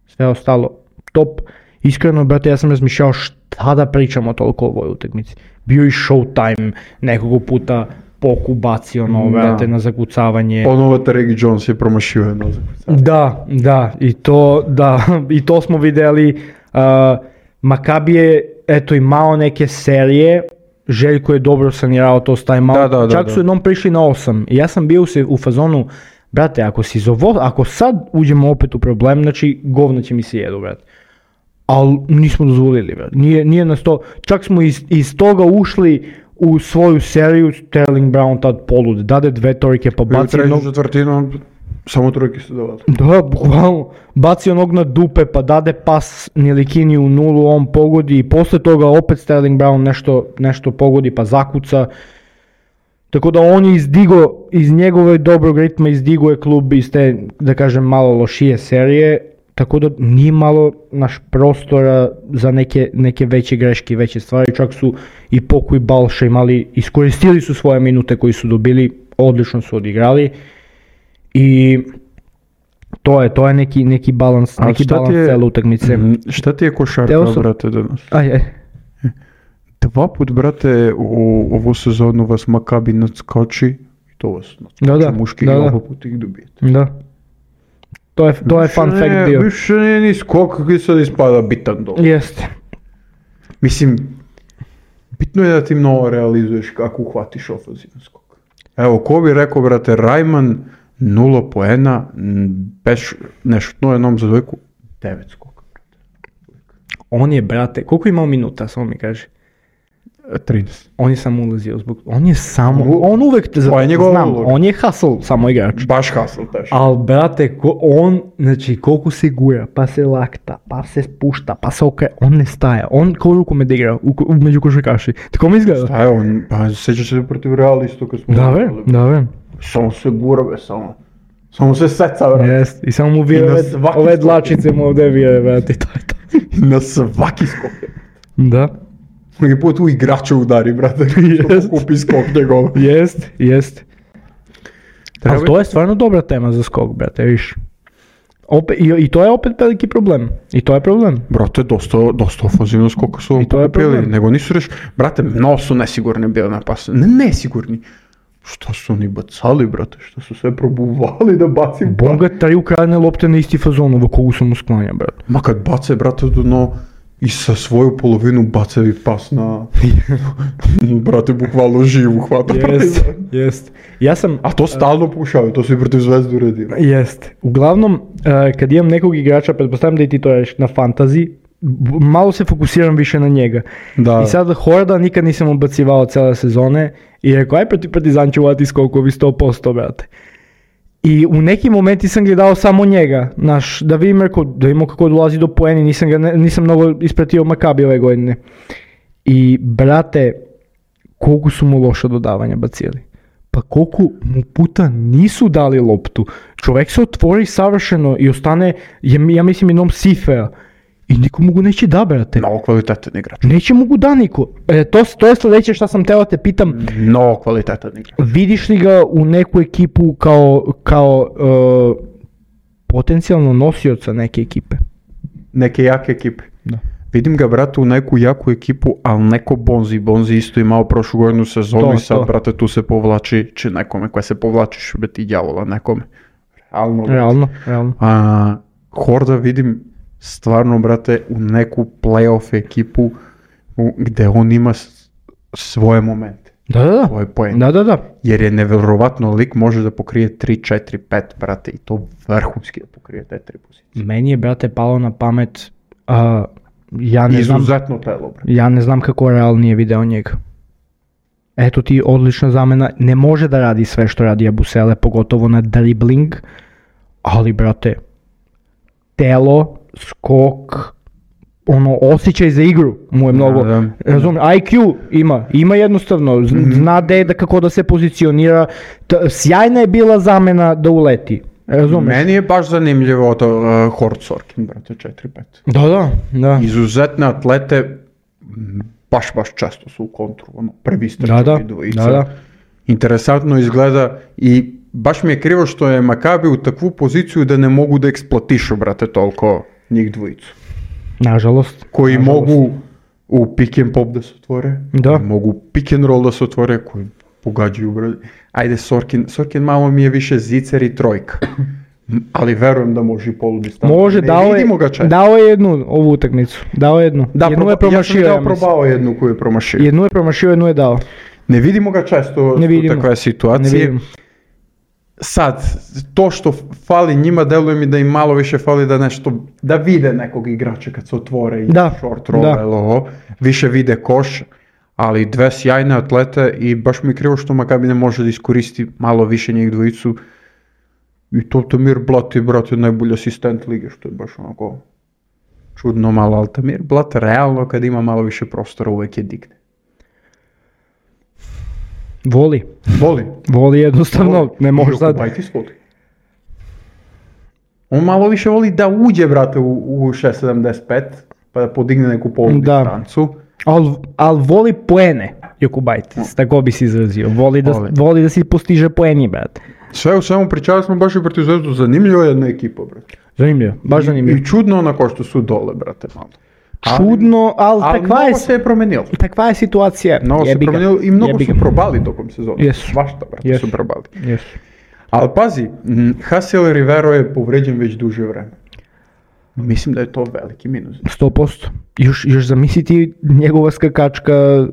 Speaker 2: Sve ostalo, top. Iskreno, brate, ja sam razmišljao šta da pričamo toliko o ovoj utakmici. Bio i Showtime, nekoliko puta Poku bacio ono, brate, na zakucavanje.
Speaker 1: Ponovo Terry Jones je promašio jedno zakucavanje.
Speaker 2: Da, da, i to, da, i to smo videli. Uh, Makabi je, eto, imao neke serije, Željko je dobro sanirao to s time-out,
Speaker 1: da, da,
Speaker 2: čak
Speaker 1: da,
Speaker 2: su
Speaker 1: da.
Speaker 2: jednom prišli na osam. I ja sam bio se u fazonu, brate, ako, si zovo, ako sad uđemo opet u problem, znači govno će mi se jedu, brate. Ali nismo dozvolili, brate. Nije, nije nas to, čak smo iz, iz toga ušli u svoju seriju, Sterling Brown tad polud, dade dve trojke pa baci
Speaker 1: jednog...
Speaker 2: jednog...
Speaker 1: četvrtinu, samo trojke su davali.
Speaker 2: Da, bukvalno, baci onog na dupe pa dade pas Nilikini u nulu, on pogodi i posle toga opet Sterling Brown nešto, nešto pogodi pa zakuca. Tako da on je izdigo, iz njegove dobrog ritma izdigo je klub iz te, da kažem, malo lošije serije. Tako da nije malo naš prostora za neke, neke veće greške i veće stvari, čak su i Poku i Balša imali, iskoristili su svoje minute koji su dobili, odlično su odigrali i to je, to je neki, neki balans, neki balans je, cele utakmice.
Speaker 1: Šta ti je košarka,
Speaker 2: Teo sam,
Speaker 1: brate, danas?
Speaker 2: Aj, aj.
Speaker 1: Dva put, brate, u ovu sezonu vas Makabi nadskoči i to vas nadskoči
Speaker 2: da, da,
Speaker 1: muški
Speaker 2: da,
Speaker 1: i
Speaker 2: da.
Speaker 1: oba put ih dobijete.
Speaker 2: Da. To je, to je fun fact dio.
Speaker 1: Više nije ni skok koji sad ispada bitan dol.
Speaker 2: Jeste.
Speaker 1: Mislim, bitno je da ti mnogo realizuješ kako uhvatiš ofenzivni skok. Evo, ko bi rekao, brate, Rajman, nula poena, bez nešutno jednom za dvojku, devet skoka.
Speaker 2: On je, brate, koliko je imao minuta, samo mi kaže?
Speaker 1: trideset.
Speaker 2: On je samo ulazio zbog... On je samo... On uvek...
Speaker 1: To je njegov
Speaker 2: znam,
Speaker 1: ulog.
Speaker 2: on je hustle, samo igrač.
Speaker 1: Baš hustle, teško.
Speaker 2: Al, brate, ko, on, znači, koliko se gura, pa se lakta, pa se spušta, pa se okre... On ne staje. On kao rukomet igra u, u, među košarkaši. Tako mi izgleda.
Speaker 1: Staje on, pa sjećaš se protiv Reala isto kad smo...
Speaker 2: Da, ve, da, ve.
Speaker 1: Samo se gura, be, samo... Samo se seca, brate.
Speaker 2: Jest, i samo mu vire ove, ove dlačice mu ovdje vire, brate, to je to.
Speaker 1: Na svaki skok.
Speaker 2: Da.
Speaker 1: Mnogi put u igrača udari, brate, što kupi skok njegov.
Speaker 2: Jest, jest. Ali to je stvarno dobra tema za skok, brate, viš. Opet, i, I to je opet veliki problem. I to je problem.
Speaker 1: Brate, dosta, dosta ofenzivno skoka su vam pokupili, nego nisu reš... Brate, mnogo su nesigurni bili na pasu. Ne nesigurni. Što su oni bacali, brate, što su sve probuvali da bacim.
Speaker 2: Bonga tri ukradne lopte na isti fazon, ova kogu sam usklanja, brate.
Speaker 1: Ma kad bace, brate, no, i sa svoju polovinu bacevi pas na... brate, bukvalno živu hvata.
Speaker 2: Jest, jest. Ja sam...
Speaker 1: A to stalno pušaju, to su i protiv Zvezdu uredili.
Speaker 2: Jest. Uglavnom, uh, kad imam nekog igrača, pretpostavljam da i ti to reš na fantasy, malo se fokusiram više na njega.
Speaker 1: Da.
Speaker 2: I sad Horda nikad nisam ubacivao cele sezone i rekao, aj protiv Partizan ću uvati skokovi sto posto, brate. I u nekim momenti sam gledao samo njega, naš, da vidim, rekao, da vidimo kako dolazi do poeni, nisam, ga, nisam mnogo ispratio Makabi ove godine. I, brate, koliko su mu loša dodavanja bacili. Pa koliko mu puta nisu dali loptu. Čovjek se otvori savršeno i ostane, ja, ja mislim, jednom sifea. I niko mu go neće da, brate.
Speaker 1: Mnogo kvalitetan igrač.
Speaker 2: Neće mu go da niko. E, to, to je sljedeće što sam teo te pitam.
Speaker 1: Mnogo kvalitetan igrač.
Speaker 2: Vidiš li ga u neku ekipu kao, kao uh, potencijalno nosioca neke ekipe?
Speaker 1: Neke jake ekipe.
Speaker 2: Da.
Speaker 1: Vidim ga, brate, u neku jaku ekipu, ali neko Bonzi. Bonzi isto imao prošlu godinu sezonu to, i sad, to. Brate, tu se povlači, či nekome koje se povlačiš, biti djavola nekome. Realno.
Speaker 2: Realno, realno.
Speaker 1: A, Horda vidim stvarno, brate, u neku playoff ekipu u, gde on ima s, svoje momente.
Speaker 2: Da, da, da.
Speaker 1: To je poen.
Speaker 2: Da, da, da.
Speaker 1: Jer je neverovatno lik može da pokrije tri, četiri, pet, brate, i to vrhunski da pokrije te tri pozicije.
Speaker 2: Meni je, brate, palo na pamet, a, ja ne znam,
Speaker 1: Izuzetno telo, brate.
Speaker 2: ja ne znam kako Real nije video njega. Eto ti odlična zamena, ne može da radi sve što radi Yabusele, pogotovo na dribling, ali, brate, telo, skok, ono, osjećaj za igru mu je mnogo,
Speaker 1: Da, da.
Speaker 2: razumiješ, I Q ima, ima jednostavno, zna da je da kako da se pozicionira, T- sjajna je bila zamena da uleti, razumiješ?
Speaker 1: Meni je baš zanimljivo to uh, Hort Sorkin, brate, četiri pet.
Speaker 2: Da, da, da.
Speaker 1: Izuzetne atlete, m, baš, baš često su u kontru, ono, prvi
Speaker 2: Da, da,
Speaker 1: strčevi dvojica.
Speaker 2: da, da.
Speaker 1: Interesantno izgleda i baš mi je krivo što je Makabi u takvu poziciju da ne mogu da eksploatišu, brate, toliko njih dvojicu.
Speaker 2: Nažalost.
Speaker 1: Koji
Speaker 2: nažalost.
Speaker 1: mogu u pick and pop da se otvore,
Speaker 2: Da.
Speaker 1: koji mogu pick and roll da se otvore, koji pogađaju, brate. Ajde, Sorkin, Sorkin malo mi je više zicer i trojka, M, ali verujem da može i polu distancu.
Speaker 2: Može,
Speaker 1: Ne
Speaker 2: dao je,
Speaker 1: vidimo ga često.
Speaker 2: dao je jednu ovu utakmicu, dao je jednu.
Speaker 1: Da,
Speaker 2: jednu
Speaker 1: proba-
Speaker 2: je promašio,
Speaker 1: ja
Speaker 2: ja
Speaker 1: sam dao
Speaker 2: mislim.
Speaker 1: probao jednu koju je promašio.
Speaker 2: Jednu je promašio, jednu je dao.
Speaker 1: Ne vidimo ga često
Speaker 2: Ne
Speaker 1: u
Speaker 2: vidimo.
Speaker 1: takve
Speaker 2: Ne
Speaker 1: situacije.
Speaker 2: vidim.
Speaker 1: Sad, to što fali njima, deluje mi da im malo više fali da nešto, da vide nekog igrača kad se otvore i
Speaker 2: Da,
Speaker 1: short roll,
Speaker 2: da.
Speaker 1: ili ovo, više vide koš, ali dve sjajne atlete i baš mi je krivo što Makabi ne može da iskoristi malo više njih dvojicu. I to Tamir Blat je, brate, najbolji asistent lige, što je baš onako čudno malo, ali Tamir Blat realno kad ima malo više prostora uvek je digne.
Speaker 2: Voli.
Speaker 1: Voli.
Speaker 2: Voli jednostavno, ne može sad.
Speaker 1: Jokubaitis voli. On malo više voli da uđe, brate, u, u šest sedamdeset pet, pa da podigne neku polu
Speaker 2: Da.
Speaker 1: distancu.
Speaker 2: Al, al voli poene, Jokubaitis, tako bi se izrazio. Voli da,
Speaker 1: Voli.
Speaker 2: voli da si postiže poeni, brate.
Speaker 1: Sve u svemu pričali smo baš i protiv Zvezdu, zanimljiva je jedna ekipa, brate.
Speaker 2: Zanimljivo, baš zanimljivo.
Speaker 1: I čudno onako što su dole, brate, malo. Ali-
Speaker 2: Čudno, ali,
Speaker 1: Ali
Speaker 2: takva, je,
Speaker 1: mnogo se je promenilo.
Speaker 2: takva je situacija.
Speaker 1: Mnogo se
Speaker 2: Jebi ga,
Speaker 1: promenilo i mnogo
Speaker 2: jebi
Speaker 1: su
Speaker 2: ga.
Speaker 1: probali tokom sezona.
Speaker 2: Jesu.
Speaker 1: Svašta, brate,
Speaker 2: Jesu.
Speaker 1: su probali.
Speaker 2: Jesu.
Speaker 1: Ali pazi, m, Hasiel Rivero je povređen već duže vreme. Mislim da je to veliki minus.
Speaker 2: sto posto. Još, još zamisliti njegova skakačka,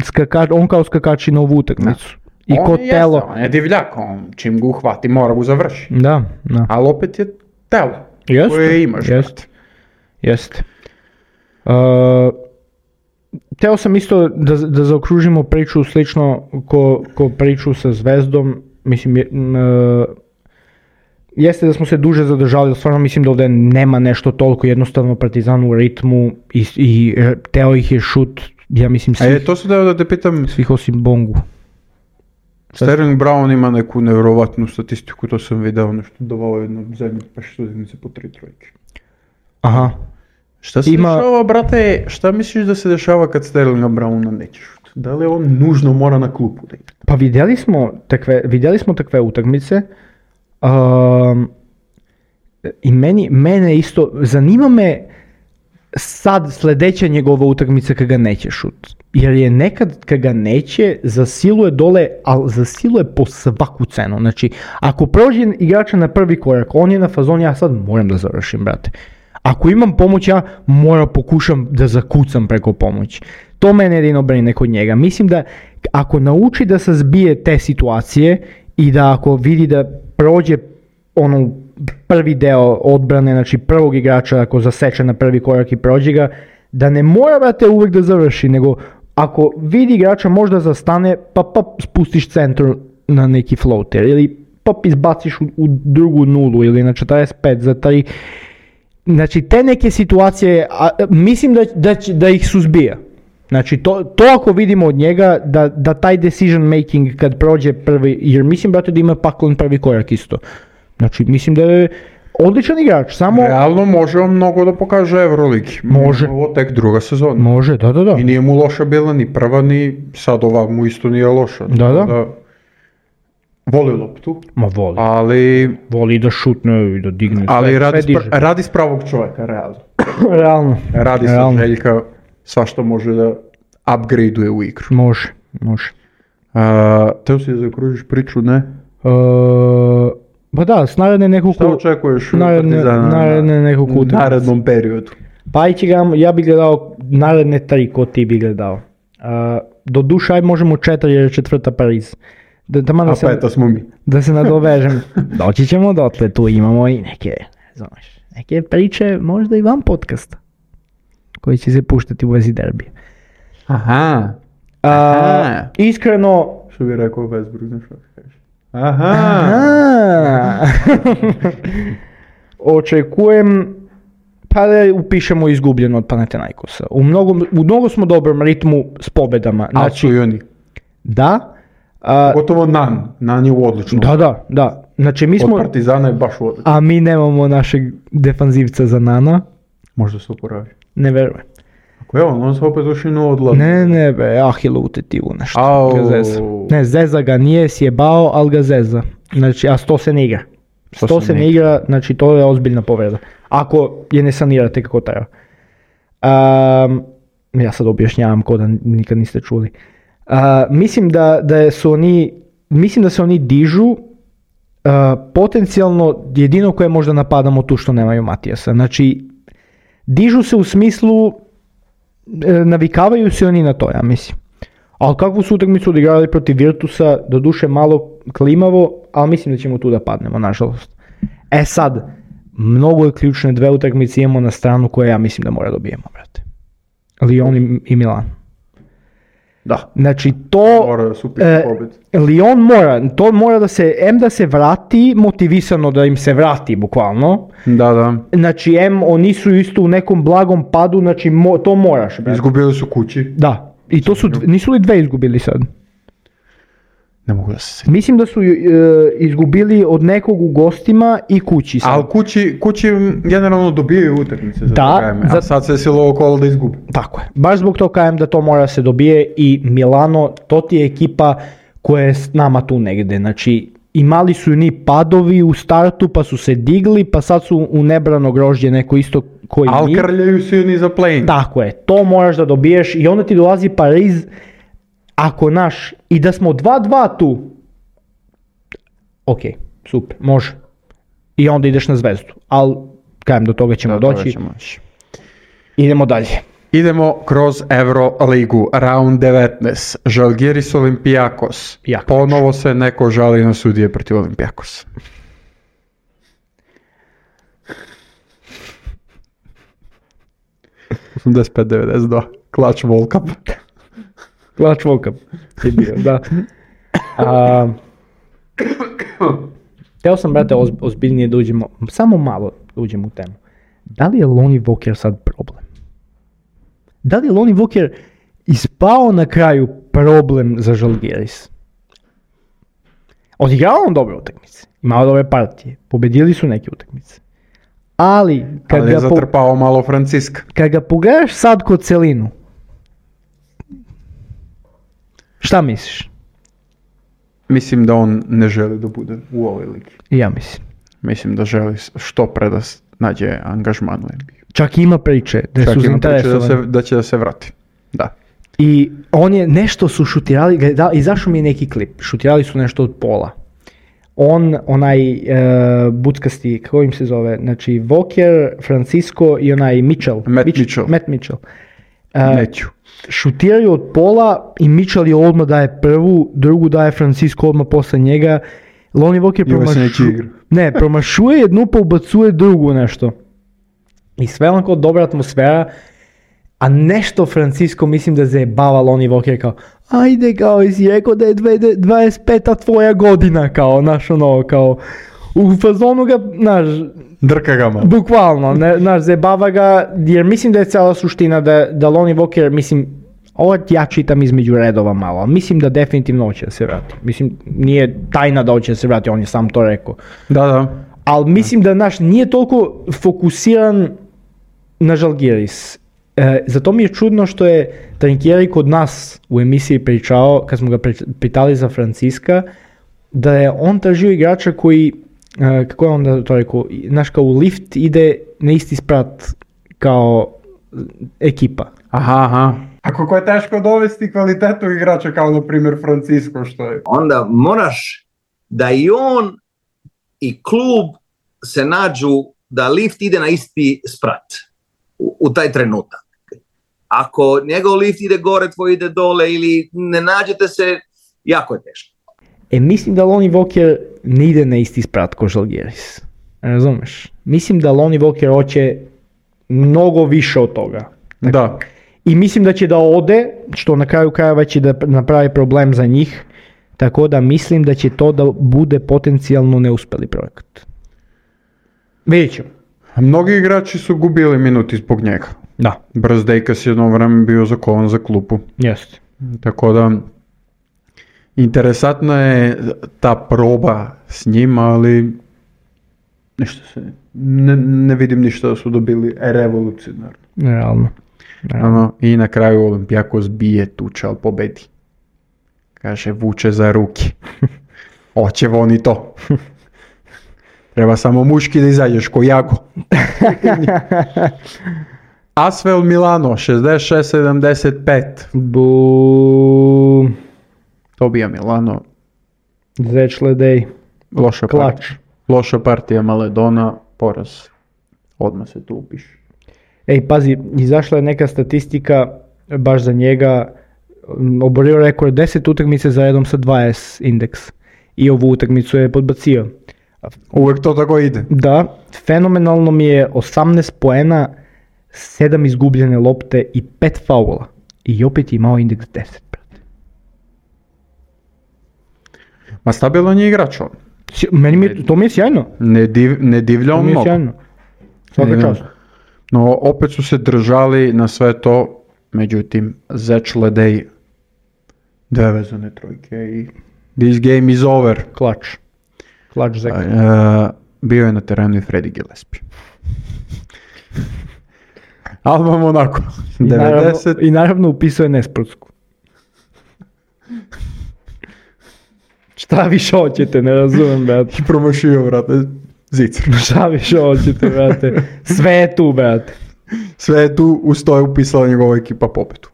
Speaker 2: skaka, on kao skakači na ovu utakmicu. I
Speaker 1: On
Speaker 2: ko
Speaker 1: jeste,
Speaker 2: telo.
Speaker 1: On je divljak, on čim ga uhvati mora ga završi.
Speaker 2: Da, da.
Speaker 1: Ali opet je telo
Speaker 2: Jeste,
Speaker 1: koje imaš.
Speaker 2: jeste. Jeste. Uh, teo sam isto da, da zaokružimo priču slično ko, ko priču sa Zvezdom. Mislim, je, m, uh, jeste da smo se duže zadržali, ali stvarno mislim da ovdje nema nešto toliko, jednostavno Partizan u ritmu i, i e, teo ih je šut, ja mislim
Speaker 1: A
Speaker 2: svih,
Speaker 1: je, to se da da te pitam,
Speaker 2: svih osim Bongu.
Speaker 1: Sterling Brown ima neku nevjerovatnu statistiku, to sam video, nešto davao jedno zemlje, pa što jedinice po tri trojke.
Speaker 2: Aha.
Speaker 1: Šta se
Speaker 2: Ima-
Speaker 1: dešava, brate, šta misliš da se dešava kad Sterlinga Browna neće šut? Da li on nužno mora na klupu da igra?
Speaker 2: Pa vidjeli smo takve, vidjeli smo takve utakmice um, i meni, mene isto, zanima me sad sljedeća njegova utakmica kad ga neće šut. Jer je nekad kad ga neće, zasiluje dole, ali zasiluje po svaku cenu. Znači, ako prođe igrača na prvi korak, on je na fazonu, ja sad moram da završim, brate. Ako imam pomoć, ja moram pokušam da zakucam preko pomoći. To mene jedino brine kod njega. Mislim da ako nauči da se zbije te situacije i da ako vidi da prođe ono prvi deo odbrane, znači prvog igrača ako zaseče na prvi korak i prođe ga, da ne mora, brate, uvijek da završi, nego ako vidi igrača možda zastane, pa pa spustiš centru na neki floater ili pa izbaciš u, u drugu nulu ili na četrdeset pet za tri. Znači te neke situacije, a, mislim da, da, će- da ih suzbija. Znači to, to ako vidimo od njega, da, da taj decision making kad prođe prvi, jer mislim, brate, da ima paklon prvi korak isto. Znači mislim da je odličan igrač, samo
Speaker 1: Realno može on mnogo da pokaže Euroligi.
Speaker 2: Može.
Speaker 1: Ovo tek druga sezona.
Speaker 2: može, da, da, da.
Speaker 1: I nije mu loša bila ni prva, ni sad ova mu isto nije loša.
Speaker 2: Da, da.
Speaker 1: Voli loptu,
Speaker 2: Ma voli,
Speaker 1: ali,
Speaker 2: voli da šutne i da digne,
Speaker 1: ali
Speaker 2: sve,
Speaker 1: radi,
Speaker 2: sve
Speaker 1: s,
Speaker 2: diže.
Speaker 1: pra- radi s pravog čovjeka, realno.
Speaker 2: Realno,
Speaker 1: Radi sa
Speaker 2: Realno.
Speaker 1: Željka, svašta može da upgradeuje u igru.
Speaker 2: može, može.
Speaker 1: A, teo si da zaokružiš priču, ne?
Speaker 2: Uh, pa da, s naredne
Speaker 1: Šta
Speaker 2: nekoliko,
Speaker 1: očekuješ od
Speaker 2: naredne,
Speaker 1: Partizana
Speaker 2: naredne
Speaker 1: na
Speaker 2: nekoliko utakmica.
Speaker 1: narednom periodu?
Speaker 2: Pa ići ga, ja bih gledao naredne tri ko ti bi gledao. Uh, do duše aj možemo četiri jer je četvrta Pariz. Da, da,
Speaker 1: A
Speaker 2: se,
Speaker 1: peta smo mi.
Speaker 2: da se nadovežem. Doći ćemo dotle, tu imamo i neke, znaš, neke priče možda i van podcasta koji će se puštati u vezi derbija.
Speaker 1: Aha.
Speaker 2: A,
Speaker 1: Aha.
Speaker 2: Iskreno...
Speaker 1: Što bi rekao Westbrook, znaš što kažeš? Aha.
Speaker 2: Aha. Očekujem pa da upišemo izgubljeno od Panathinaikosa. U mnogo, u mnogo smo dobrom ritmu s pobedama.
Speaker 1: Ali su i oni.
Speaker 2: Da. A,
Speaker 1: Gotovo Nan. Nan je u odličnom.
Speaker 2: da, da, da. Znači mi smo...
Speaker 1: Od Partizana je baš u odličnom.
Speaker 2: A mi nemamo našeg defanzivca za Nana.
Speaker 1: Možda se oporavi.
Speaker 2: Ne verujem.
Speaker 1: Ako je on, on se opet ušinu odlazi.
Speaker 2: Ne, ne, be, Ahilo u tetivu nešto.
Speaker 1: Au.
Speaker 2: Ga zeza. Ne, zeza ga nije sjebao, ali ga zeza. Znači, a sto se ne igra. sto se ne igra, znači to je ozbiljna povreda. Ako je ne sanirate kako treba. Um, ja sad objašnjavam ko da nikad niste čuli. Uh, mislim da, da su oni, mislim da se oni dižu uh, potencijalno jedino koje možda napadamo tu što nemaju Matijasa. Znači, dižu se u smislu, e, navikavaju se oni na to, ja mislim. Ali kakvu su utakmicu odigrali protiv Virtusa, doduše malo klimavo, ali mislim da ćemo tu da padnemo, nažalost. E sad, mnogo je ključne dve utakmice imamo na stranu koje ja mislim da mora dobijemo, brate. Lyon i, i Milan.
Speaker 1: Da.
Speaker 2: Znači to...
Speaker 1: Mora da su upiše
Speaker 2: e,
Speaker 1: pobjed.
Speaker 2: Lyon mora, to mora da se, em da se vrati, motivisano da im se vrati, bukvalno.
Speaker 1: Da, da.
Speaker 2: Znači, em, oni su isto u nekom blagom padu, znači mo, to moraš, brate.
Speaker 1: Izgubili su kući.
Speaker 2: Da, i to su, nisu li dve izgubili sad?
Speaker 1: Ne mogu da se sjetim.
Speaker 2: Mislim da su e, izgubili od nekog u gostima i kući sad.
Speaker 1: Ali kući, kući generalno dobijaju utakmice za
Speaker 2: Da,
Speaker 1: krajeme,
Speaker 2: za-
Speaker 1: a sad se silo okolo da izgubi.
Speaker 2: Tako je. Baš zbog toga kajem da to mora se dobije i Milano, to ti je ekipa koja je s nama tu negde. Znači, imali su ni padovi u startu, pa su se digli, pa sad su u nebrano grožđe neko isto koji
Speaker 1: Ali
Speaker 2: mi.
Speaker 1: krljaju se oni za play-in.
Speaker 2: Tako je, to moraš da dobiješ i onda ti dolazi Pariz, ako naš, i da smo dva dva tu, ok, super, može. I onda ideš na Zvezdu, ali kajem do toga ćemo
Speaker 1: Do toga
Speaker 2: doći,
Speaker 1: ćemo doći.
Speaker 2: idemo dalje.
Speaker 1: Idemo kroz Euroligu, round devetnaest, Žalgiris Olympiakos.
Speaker 2: Jako
Speaker 1: Ponovo se neko žali na sudije protiv Olympiakosa. osamdeset pet devedeset dva, Clutch World Cup.
Speaker 2: Clutch World Cup je bio, da. A, teo sam, brate, oz, ozbiljnije da uđemo, samo malo da uđemo u temu. Da li je Lonnie Walker sad problem? Da li je Lonnie Walker ispao na kraju problem za Žalgiris? Odigrao on dobre utakmice, imao dobre partije, pobedili su neke utakmice. Ali, kad,
Speaker 1: Ali je
Speaker 2: ga, po,
Speaker 1: zatrpao malo Franciska.
Speaker 2: kad ga pogledaš sad kod celinu, šta misliš?
Speaker 1: Mislim da on ne želi da bude u ovoj ligi.
Speaker 2: I ja mislim.
Speaker 1: Mislim da želi što pre da s- nađe angažman u N B A.
Speaker 2: Čak ima priče da
Speaker 1: Čak
Speaker 2: su
Speaker 1: ima priče da,
Speaker 2: zainteresovani.
Speaker 1: se, da će da se vrati. Da.
Speaker 2: I on je, nešto su šutirali, ga- da, izašao mi je neki klip, šutirali su nešto od pola. On, onaj e, buckasti, kako im se zove, znači Walker, Francisco i onaj Mitchell.
Speaker 1: Matt
Speaker 2: Mitch-
Speaker 1: Mitchell.
Speaker 2: Matt Mitchell. E,
Speaker 1: Neću.
Speaker 2: šutiraju od pola i Mitchell je odmah daje prvu, drugu daje Francisco odmah posle njega. Lonnie Walker
Speaker 1: I ovaj se neće
Speaker 2: promašu,
Speaker 1: igra.
Speaker 2: ne, promašuje jednu pa ubacuje drugu nešto. I sve onako dobra atmosfera, a nešto Francisco mislim da zajebava Lonnie Walker kao ajde kao jesi rekao da je dve- dvadeset peta tvoja godina kao, znaš ono kao u fazonu ga, znaš,
Speaker 1: Drka ga malo.
Speaker 2: bukvalno, ne, znaš, zajebava ga, jer mislim da je cijela suština da, da Lonnie Walker, mislim, ovo ja čitam između redova malo, ali mislim da definitivno hoće da se vrati. Mislim, nije tajna da hoće da se vrati, on je sam to rekao.
Speaker 1: Da, da.
Speaker 2: Ali mislim da naš nije toliko fokusiran na Žalgiris. E, zato mi je čudno što je Trinkieri kod nas u emisiji pričao, kad smo ga pri- pitali za Franciska, da je on tražio igrača koji, e, kako je onda to rekao, znaš kao u lift ide na isti sprat kao ekipa.
Speaker 1: Aha, aha. A kako je teško dovesti kvalitetu igrača kao na primjer Francisco što je.
Speaker 4: Onda moraš da i on i klub se nađu da lift ide na isti sprat u, u taj trenutak. ako njegov lift ide gore, tvoj ide dole ili ne nađete se, jako je teško.
Speaker 2: E, mislim da Lonnie Walker ne ide na isti sprat ko Žalgiris. Razumeš? Mislim da Lonnie Walker hoće mnogo više od toga.
Speaker 1: Da.
Speaker 2: I mislim da će da ode, što na kraju krajeva će da napravi problem za njih, tako da mislim da će to da bude potencijalno neuspeli projekat. Vidjet ćemo.
Speaker 1: Mnogi igrači su gubili minuti zbog njega.
Speaker 2: Da.
Speaker 1: Brzdejkas je jedno vreme bio zakovan za klupu.
Speaker 2: Jeste.
Speaker 1: Tako da, interesantna je ta proba s njima, ali ništa se, ne, ne vidim ništa da su dobili revolucionarno.
Speaker 2: Realno. Realno.
Speaker 1: Ano, i na kraju Olimpijakos bije tuče, ali pobedi. Kaže, vuče za ruke. Oće voni to. Treba samo muški da izađeš ko Jago. Asvel Milano, šezdeset šest sedamdeset pet.
Speaker 2: Bu...
Speaker 1: To bija Milano.
Speaker 2: Zečledej.
Speaker 1: Loša
Speaker 2: Klač.
Speaker 1: partija. Loša partija Maledona, poraz. Odmah se tu upiše.
Speaker 2: Ej, pazi, izašla je neka statistika baš za njega, oborio rekord deset utakmice za redom sa dvadeset indeks i ovu utakmicu je podbacio.
Speaker 1: Uvijek to tako ide.
Speaker 2: Da, fenomenalno mi je osamnaest poena, sedam izgubljene lopte i pet faula. I opet je imao indeks deset, brate.
Speaker 1: Ma stabilan je igrač on.
Speaker 2: Sj- Meni mi je, to mi je sjajno.
Speaker 1: Ne, div, ne divlja
Speaker 2: To
Speaker 1: on
Speaker 2: mi je
Speaker 1: mnogo.
Speaker 2: sjajno. Svaka
Speaker 1: Ne, ne.
Speaker 2: čast.
Speaker 1: No, opet su se držali na sve to, međutim, Zečledej dve vezane trojke i this game is over.
Speaker 2: Klač. Klač zek.
Speaker 1: Uh, bio je na terenu i Freddy Gillespie. Alba Monaco,
Speaker 2: I naravno,
Speaker 1: devedeset.
Speaker 2: I naravno upisuje nesportsku. Šta više hoćete, ne razumem, brate.
Speaker 1: I promašio, vrate, zicer.
Speaker 2: Šta više hoćete, brate. Sve je tu, brate.
Speaker 1: Sve je tu, uz to je upisala njegova ekipa pobedu.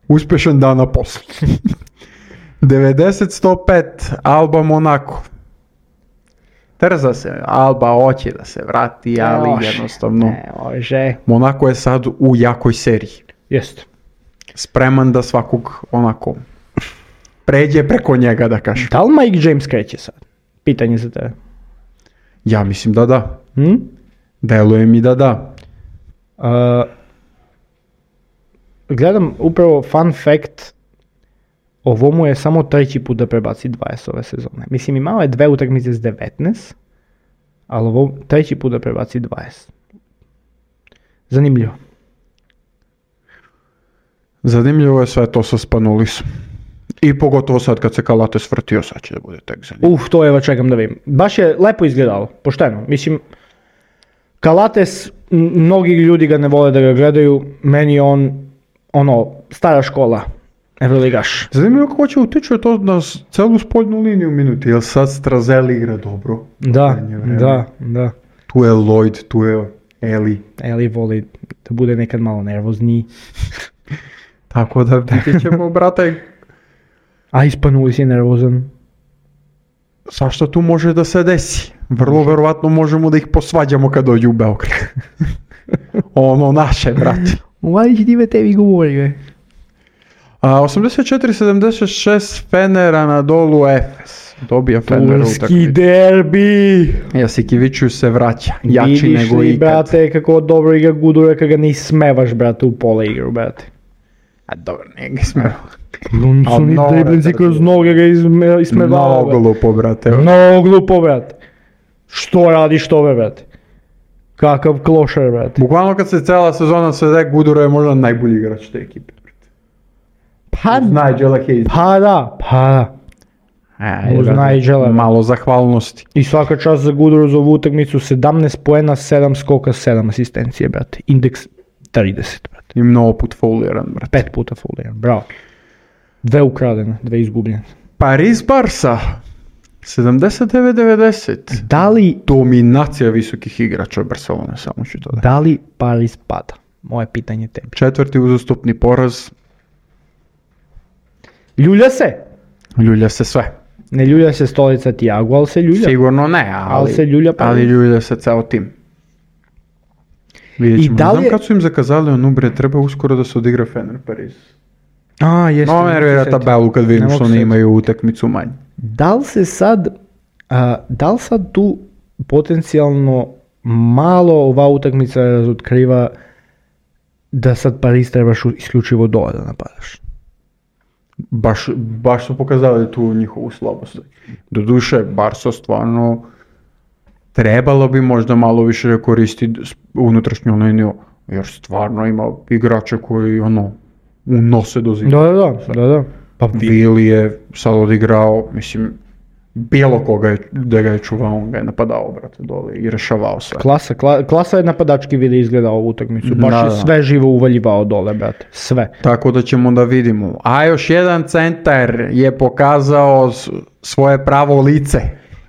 Speaker 1: Uspješan dan na poslu. devedeset sto pet, Alba Monaco. Trza se, Alba hoće da se vrati, ali
Speaker 2: Može.
Speaker 1: jednostavno
Speaker 2: Ne, može.
Speaker 1: Monaco je sad u jakoj seriji.
Speaker 2: Jeste.
Speaker 1: Spreman da svakog onako pređe preko njega, da kažem.
Speaker 2: Da li Mike James kreće sad? Pitanje za tebe.
Speaker 1: Ja mislim da da.
Speaker 2: Hm?
Speaker 1: Deluje mi da da.
Speaker 2: Uh, gledam upravo fun fact, ovo mu je samo treći put da prebaci dvadeset ove sezone. Mislim, imao je dve utakmice s devetnaest, ali ovo treći put da prebaci dvadeset. Zanimljivo.
Speaker 1: Zanimljivo je sve to sa Spanulisom. I pogotovo sad kad se Kalates vrtio, sad će da bude tek zanimljivo.
Speaker 2: Uf, to evo čekam da vidim. Baš je lepo izgledalo, pošteno. Mislim, Kalates, m- mnogi ljudi ga ne vole da ga gledaju, meni je on, ono, stara škola, Evroligaš.
Speaker 1: Zanimljivo kako će utječu to na s- celu spoljnu liniju minuti, jer sad Strazeli igra dobro.
Speaker 2: Da,
Speaker 1: Zadnje vreme.
Speaker 2: da, da.
Speaker 1: Tu je Lloyd, tu je Eli.
Speaker 2: Eli voli da bude nekad malo nervozniji.
Speaker 1: Tako da vidjet ćemo, brate,
Speaker 2: A Ispanulis je nervozan.
Speaker 1: svašta tu može da se desi. Vrlo verovatno možemo da ih posvađamo kad dođu u Beograd. Ono naše, brate.
Speaker 2: Uvali će ti me tebi govori,
Speaker 1: A, osamdeset četiri sedamdeset šest Fener Anadolu Efes. Dobija Fener
Speaker 2: Turski
Speaker 1: utakmicu.
Speaker 2: derbi!
Speaker 1: Jasikiviću se vraća. Jači
Speaker 2: Vidiš
Speaker 1: nego
Speaker 2: li,
Speaker 1: ikad.
Speaker 2: brate, kako dobro igra Gudura kad ga ne ismevaš, brate, u pola igru, brate.
Speaker 1: A dobro, nije ga smeo.
Speaker 2: On
Speaker 1: Al
Speaker 2: su ni
Speaker 1: mnogo
Speaker 2: driblinci
Speaker 1: drži.
Speaker 2: kroz noge ga isme, ismevao.
Speaker 1: Mnogo glupo, brate.
Speaker 2: Mnogo glupo, brate. Što radiš to, brate? Kakav klošar, brate.
Speaker 1: Bukvalno kad se cela sezona svede, Gudura je možda najbolji igrač te ekipe.
Speaker 2: Pa,
Speaker 1: Nigela Hayes.
Speaker 2: pa da, pa da.
Speaker 1: E,
Speaker 2: Uz
Speaker 1: brate,
Speaker 2: Nigela.
Speaker 1: malo zahvalnosti.
Speaker 2: I svaka čast za Guduru za ovu utakmicu, sedamnaest poena, sedam skoka, sedam asistencije, brate. Indeks trideset, brate.
Speaker 1: I mnogo put fouliran, brate.
Speaker 2: Pet puta fouliran, bravo. Dve ukradene, dve izgubljene.
Speaker 1: Paris Barsa. sedamdeset devet devedeset.
Speaker 2: Da li,
Speaker 1: Dominacija visokih igrača Barcelone, samo ću to da.
Speaker 2: da li Paris pada? Moje pitanje tebi.
Speaker 1: Četvrti uzastopni poraz.
Speaker 2: Ljulja se?
Speaker 1: Ljulja se sve.
Speaker 2: Ne ljulja se stolica Tiago, ali se ljulja.
Speaker 1: Sigurno ne, ali,
Speaker 2: Ali se ljulja Paris.
Speaker 1: ali ljulja se ceo tim. Vidjet
Speaker 2: I
Speaker 1: ćemo.
Speaker 2: da
Speaker 1: Ne
Speaker 2: li
Speaker 1: znam
Speaker 2: je-
Speaker 1: kad su im zakazali onu bre, treba uskoro da se odigra Fener Pariz.
Speaker 2: A, jeste.
Speaker 1: No,
Speaker 2: ne
Speaker 1: ne
Speaker 2: mogu se
Speaker 1: nervira
Speaker 2: sjetiti.
Speaker 1: tabelu kad vidim
Speaker 2: Ne
Speaker 1: što
Speaker 2: mogu se
Speaker 1: oni
Speaker 2: sjetiti.
Speaker 1: imaju utakmicu manje.
Speaker 2: Da li se sad, a, da li sad tu potencijalno malo ova utakmica razotkriva da sad Paris trebaš u- isključivo dole da napadaš?
Speaker 1: Baš, baš su pokazali tu njihovu slabost. Doduše, Barca stvarno trebalo bi možda malo više koristiti s- unutrašnju liniju, jer stvarno ima igrače koji ono unose do zida.
Speaker 2: Da, da, da, da, da. Pa vi,
Speaker 1: Vili je sad odigrao, mislim, bilo koga je, da ga je čuvao, on ga je napadao, brate, dole i rešavao sve.
Speaker 2: klasa, kla- klasa je napadački vidi izgledao ovu utakmicu, baš
Speaker 1: Da,
Speaker 2: je
Speaker 1: da.
Speaker 2: sve živo uvaljivao dole, brate, sve.
Speaker 1: Tako da ćemo da vidimo. A još jedan centar je pokazao s- svoje pravo lice.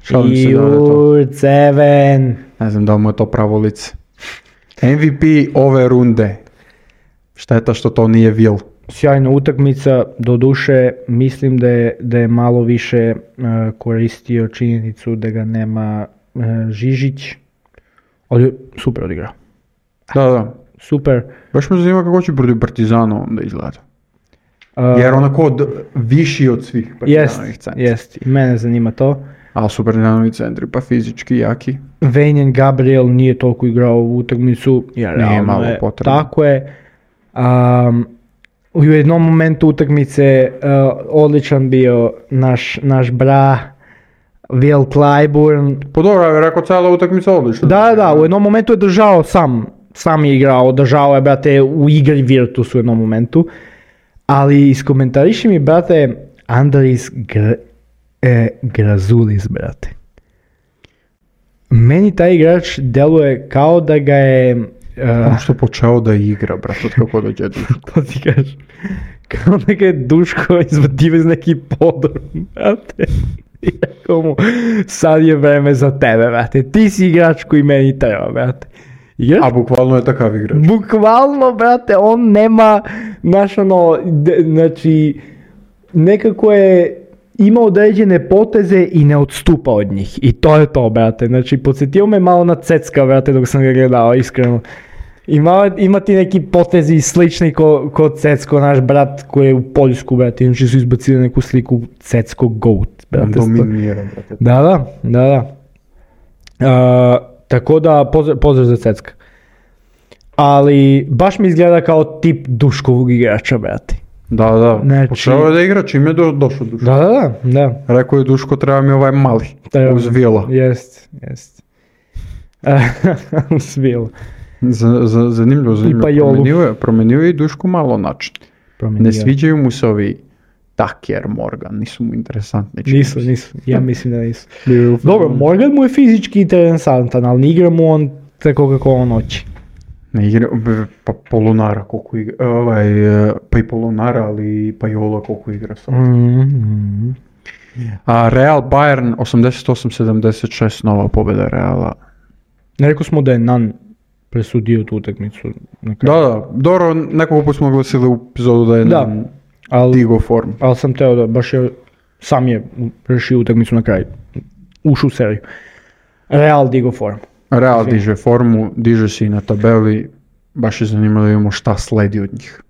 Speaker 1: Šalim se da je to.
Speaker 2: Jur, Ceven.
Speaker 1: Ne znam da li mu je to pravo lice. M V P ove runde. Šteta što to nije Will.
Speaker 2: Sjajna utakmica, doduše mislim da je, da je malo više e, koristio činjenicu da ga nema e, Žižić, ali je super odigrao.
Speaker 1: Da, da.
Speaker 2: Super.
Speaker 1: Baš me zanima kako će protiv Partizana onda izgleda.
Speaker 2: Uh,
Speaker 1: Jer onako od, viši od svih
Speaker 2: jest,
Speaker 1: Partizanovih centra.
Speaker 2: jest, i mene zanima to.
Speaker 1: Ali su Partizanovi centri pa fizički jaki.
Speaker 2: Vejnjen Gabriel nije toliko igrao ovu utakmicu, jer
Speaker 1: Nije
Speaker 2: realno
Speaker 1: malo
Speaker 2: je,
Speaker 1: potrebno.
Speaker 2: tako je. Um, u jednom momentu utakmice uh, odličan bio naš, naš bra Will Clyburn.
Speaker 1: Po dobro, ja bih rekao cijela utakmica odlična.
Speaker 2: Da, da, u jednom momentu je držao sam, sam je igrao, držao je, brate, u igri Virtus u jednom momentu. Ali iskomentariši mi, brate, Andris Gr- e, Grazulis, brate. Meni taj igrač deluje kao da ga je... Uh,
Speaker 1: Ono što je počeo da igra, brate, od kako dođe Duško.
Speaker 2: to ti kažem. Kao da ga je Duško izvadio iz neki podrum, brate. I rekao mu, sad je vreme za tebe, brate. Ti si igrač koji meni treba, brate. Igrač
Speaker 1: A bukvalno je takav igrač.
Speaker 2: Bukvalno, brate, on nema, znaš ono, d- znači, nekako je imao određene poteze i ne odstupa od njih. I to je to, brate. Znači, podsjetio me malo na Cecka, brate, dok sam ga gledao, iskreno. Ima, ima ti neki potezi slični ko, ko Cecko, naš brat koji je u Poljsku, brate. Inače su izbacili neku sliku Cecko Goat,
Speaker 1: On
Speaker 2: brate.
Speaker 1: dominira, brate.
Speaker 2: Da, da, da, da. Uh, tako da, pozdrav, pozdrav za Cecka. Ali, baš mi izgleda kao tip Duškovog igrača, brate.
Speaker 1: Da, da.
Speaker 2: Znači-
Speaker 1: Počeo je da igra čim je do, došao Duško.
Speaker 2: Da, da, da, da.
Speaker 1: Rekao je Duško, treba mi ovaj mali.
Speaker 2: Treba
Speaker 1: Uz
Speaker 2: mi.
Speaker 1: Vila.
Speaker 2: Jest, jest. Uz Vila.
Speaker 1: Z, z, zanimljivo, zanimljivo.
Speaker 2: Pajolu.
Speaker 1: Promenio je, promenio je i Duško malo način. Ne sviđaju mu se ovi Tucker, Morgan, nisu mu interesantni. čini
Speaker 2: Nisu,
Speaker 1: mi se.
Speaker 2: nisu, ja mislim da nisu.
Speaker 1: Bio je u
Speaker 2: Dobro,
Speaker 1: fazonu.
Speaker 2: Morgan mu je fizički interesantan, ali ne igra mu on tako kako on hoće.
Speaker 1: Ne igra, b- pa Polonara koliko igra, ovaj, e, pa i Polonara, ali i Pajola koliko igra sad.
Speaker 2: Mm-hmm.
Speaker 1: A Real Bayern osamdeset osam sedamdeset šest, nova pobjeda Reala.
Speaker 2: Rekao smo da je Nan presudio tu utakmicu. na
Speaker 1: Da,
Speaker 2: kraju.
Speaker 1: da, dobro, nekoliko put smo glasili u epizodu da je
Speaker 2: Da.
Speaker 1: nam
Speaker 2: Ali,
Speaker 1: digo form.
Speaker 2: ali sam teo da baš je, sam je rešio utakmicu na kraju. Ušao u seriju. Real digo form.
Speaker 1: Real diže formu, diže se i na tabeli, baš je zanimljivo da vidimo šta sledi od njih.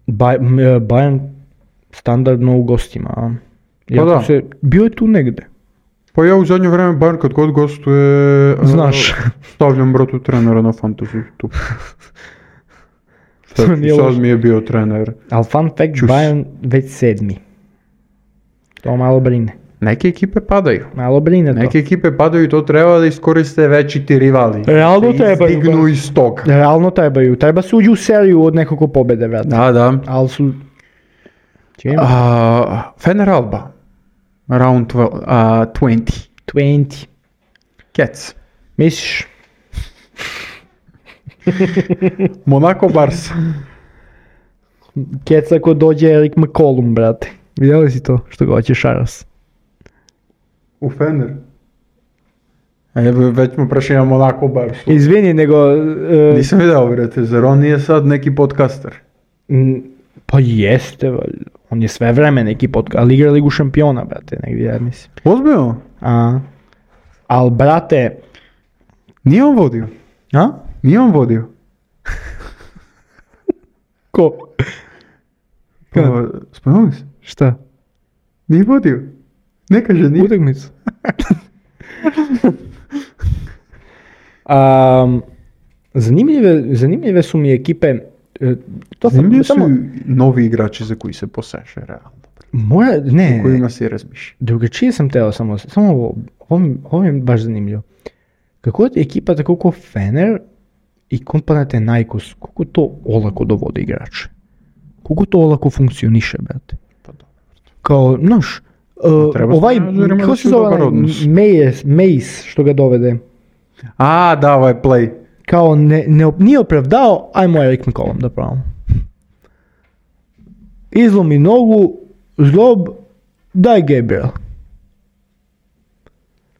Speaker 2: Baj, m, e, Bayern standardno u gostima. A? Iako
Speaker 1: da.
Speaker 2: Se, bio je tu negde.
Speaker 1: Pa ja u zadnje vreme, Bayern kad god gostuje,
Speaker 2: Znaš.
Speaker 1: e, stavljam bratu trenera na fantasy tu.
Speaker 2: To nije
Speaker 1: Sad
Speaker 2: loše.
Speaker 1: mi je bio trener.
Speaker 2: Ali fun fact,
Speaker 1: Čus.
Speaker 2: Bayern već sedmi. To malo brine.
Speaker 1: Neke ekipe padaju.
Speaker 2: Malo brine to.
Speaker 1: Neke ekipe padaju i to treba da iskoriste veći ti rivali.
Speaker 2: Realno
Speaker 1: Da
Speaker 2: trebaju,
Speaker 1: izdignu
Speaker 2: ba.
Speaker 1: iz toga.
Speaker 2: Realno trebaju. Treba se uđu u seriju od nekoliko pobjede, vrati.
Speaker 1: Da, da.
Speaker 2: Ali su... Čim?
Speaker 1: A, Fener Alba. Round dvanaest. a, dvadeset.
Speaker 2: dvadeset.
Speaker 1: Cats.
Speaker 2: Misliš?
Speaker 1: Monaco Barca.
Speaker 2: Kec ako dođe Erik McCollum, brate. Vidjeli si to što ga hoće Šaras?
Speaker 1: U Fener. Evo, već smo prešli na Monaco Barca.
Speaker 2: Izvini, nego... e,
Speaker 1: Nisam vidio, brate, zar on nije sad neki podcaster?
Speaker 2: m, pa jeste, valjda. On je sve vreme neki podcast, ali igra Ligu šampiona, brate, negdje, ja mislim.
Speaker 1: Ozbiljno?
Speaker 2: A, al brate,
Speaker 1: Nije on vodio.
Speaker 2: a?
Speaker 1: Nije on vodio.
Speaker 2: Ko?
Speaker 1: Pa, spomenuli se?
Speaker 2: Šta?
Speaker 1: Nije vodio. Ne kaže, nije.
Speaker 2: Utakmicu. um, zanimljive, zanimljive su mi ekipe. e, To sam,
Speaker 1: Zanimljivi su
Speaker 2: samo,
Speaker 1: novi igrači za koji se poseše, realno.
Speaker 2: mora, ne,
Speaker 1: O kojima se razmišlja.
Speaker 2: drugačije sam teo samo, samo ovo, ovo, mi- ovo mi je baš zanimljivo. Kako je ekipa tako ko Fener i Panathinaikos, kako to olako dovode igrače? Kako to olako funkcioniše, brate?
Speaker 1: Pa dobro.
Speaker 2: Kao, znaš, uh,
Speaker 1: treba
Speaker 2: ovaj,
Speaker 1: s menadžerima
Speaker 2: kako
Speaker 1: da
Speaker 2: se
Speaker 1: si u
Speaker 2: zove,
Speaker 1: dobar
Speaker 2: onaj
Speaker 1: odnos.
Speaker 2: Mace, Mace što ga dovede,
Speaker 1: A, da, ovaj play.
Speaker 2: kao ne, ne, op- nije opravdao, ajmo Eric McCollum da pravimo. Izlomi nogu, zlob, daj Gabriel.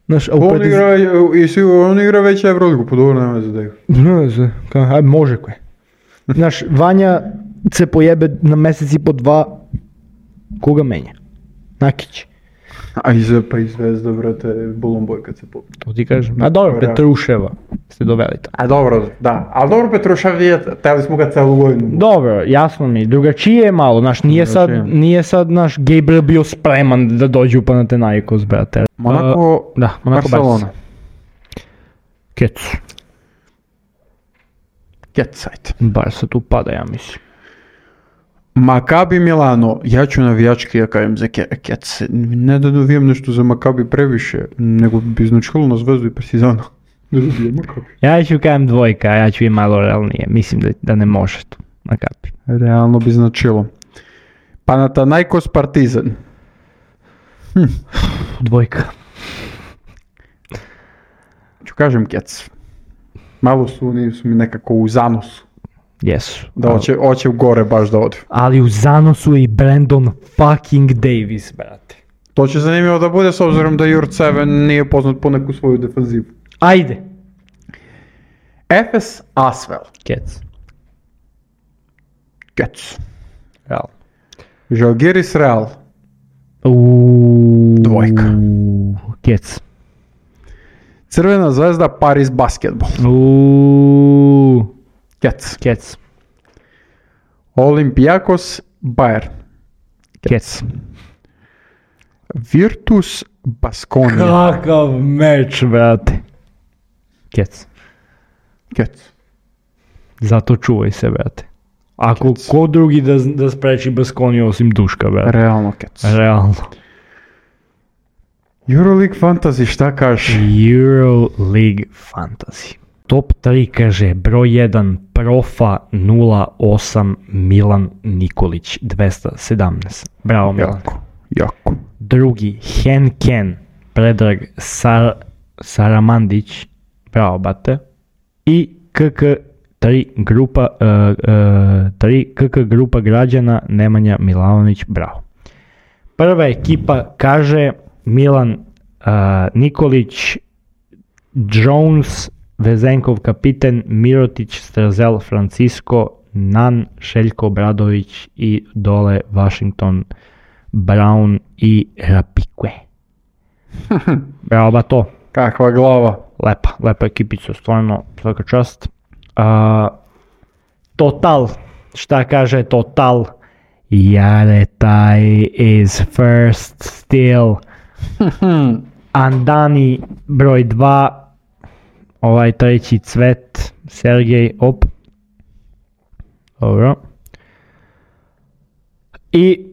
Speaker 2: Znaš, a u
Speaker 1: On
Speaker 2: prediz-
Speaker 1: igra, i svi, on igra već Euroligu, po dobro nema za da igra.
Speaker 2: Ne znam, kao, aj može koje. Znaš, Vanja se pojebe na mjesec i po dva, koga menja? Nakić.
Speaker 1: A i za, pa i Zvezda, brate, Bolomboj kad se pobije.
Speaker 2: To ti kažem. A dobro,
Speaker 1: Dobro.
Speaker 2: Petruševa ste doveli tamo.
Speaker 1: A dobro, da. Ali dobro, Petrušev je, teli smo ga celu godinu.
Speaker 2: Dobro, jasno mi, drugačije je malo, znaš, nije sad,
Speaker 1: Drugačije.
Speaker 2: nije sad naš Gabriel bio spreman da dođe u Panathinaikos, brate.
Speaker 1: Monako,
Speaker 2: Uh, da, Monako
Speaker 1: Barcelona.
Speaker 2: Kec.
Speaker 1: Ketsajt.
Speaker 2: Barca tu pada, ja mislim.
Speaker 1: Makabi Milano, ja ću navijački ja kajem za Ke- Kec. Ne da dovijem nešto za Makabi previše, nego bi značilo na Zvezdu i Partizana. Da dovijem Makabi.
Speaker 2: Ja ću kajem dvojka, ja ću i malo realnije, mislim da, da ne može tu, na kapi.
Speaker 1: Realno bi značilo. Panathinaikos Partizan.
Speaker 2: Dvojka.
Speaker 1: Ću kažem Kec. Malo su oni su mi nekako u zanosu.
Speaker 2: Jesu.
Speaker 1: Da hoće, hoće u gore baš da odu.
Speaker 2: Ali u zanosu je i Brandon fucking Davis, brate.
Speaker 1: To će zanimljivo da bude s obzirom da Jurt sedam nije poznat po neku svoju defanzivu.
Speaker 2: Ajde.
Speaker 1: Efes Asvel.
Speaker 2: Kec.
Speaker 1: Kec.
Speaker 2: Real.
Speaker 1: Žalgiris Real.
Speaker 2: Uuu.
Speaker 1: Dvojka.
Speaker 2: Kec.
Speaker 1: Crvena zvezda Paris Basketball.
Speaker 2: Uuu.
Speaker 1: Kec.
Speaker 2: Kec.
Speaker 1: Olympiakos Bayern.
Speaker 2: Kec.
Speaker 1: Virtus Baskonia.
Speaker 2: Kakav meč, brate. Kec.
Speaker 1: Kec.
Speaker 2: Zato čuvaj se, brate. Ako
Speaker 1: Kec.
Speaker 2: ko drugi da, da spreči Baskoniju osim Duška, brate.
Speaker 1: Realno Kec.
Speaker 2: Realno.
Speaker 1: Euroleague Fantasy, šta kažeš?
Speaker 2: Euroleague Fantasy. Top tri kaže broj jedan Profa nula osam Milan Nikolić dvesta sedamnaest. Bravo Milan.
Speaker 1: Jako. Jako.
Speaker 2: Drugi Henken Predrag Sar, Saramandić. Bravo bate. I K K tri grupa uh, uh, tri K K grupa građana Nemanja Milanović. Bravo. Prva ekipa kaže Milan uh, Nikolić, Jones, Vezenkov kapiten, Mirotić, Strazel, Francisco, Nan, Šeljko Obradović i dole Washington, Brown i Rapikwe. Bravo ba to.
Speaker 1: Kakva glava.
Speaker 2: Lepa, lepa ekipica, stvarno, svaka čast. Uh, total, šta kaže Total? Jaretaj is first still. Andani broj dva, ovaj treći Cvet, Sergej, op. Dobro. I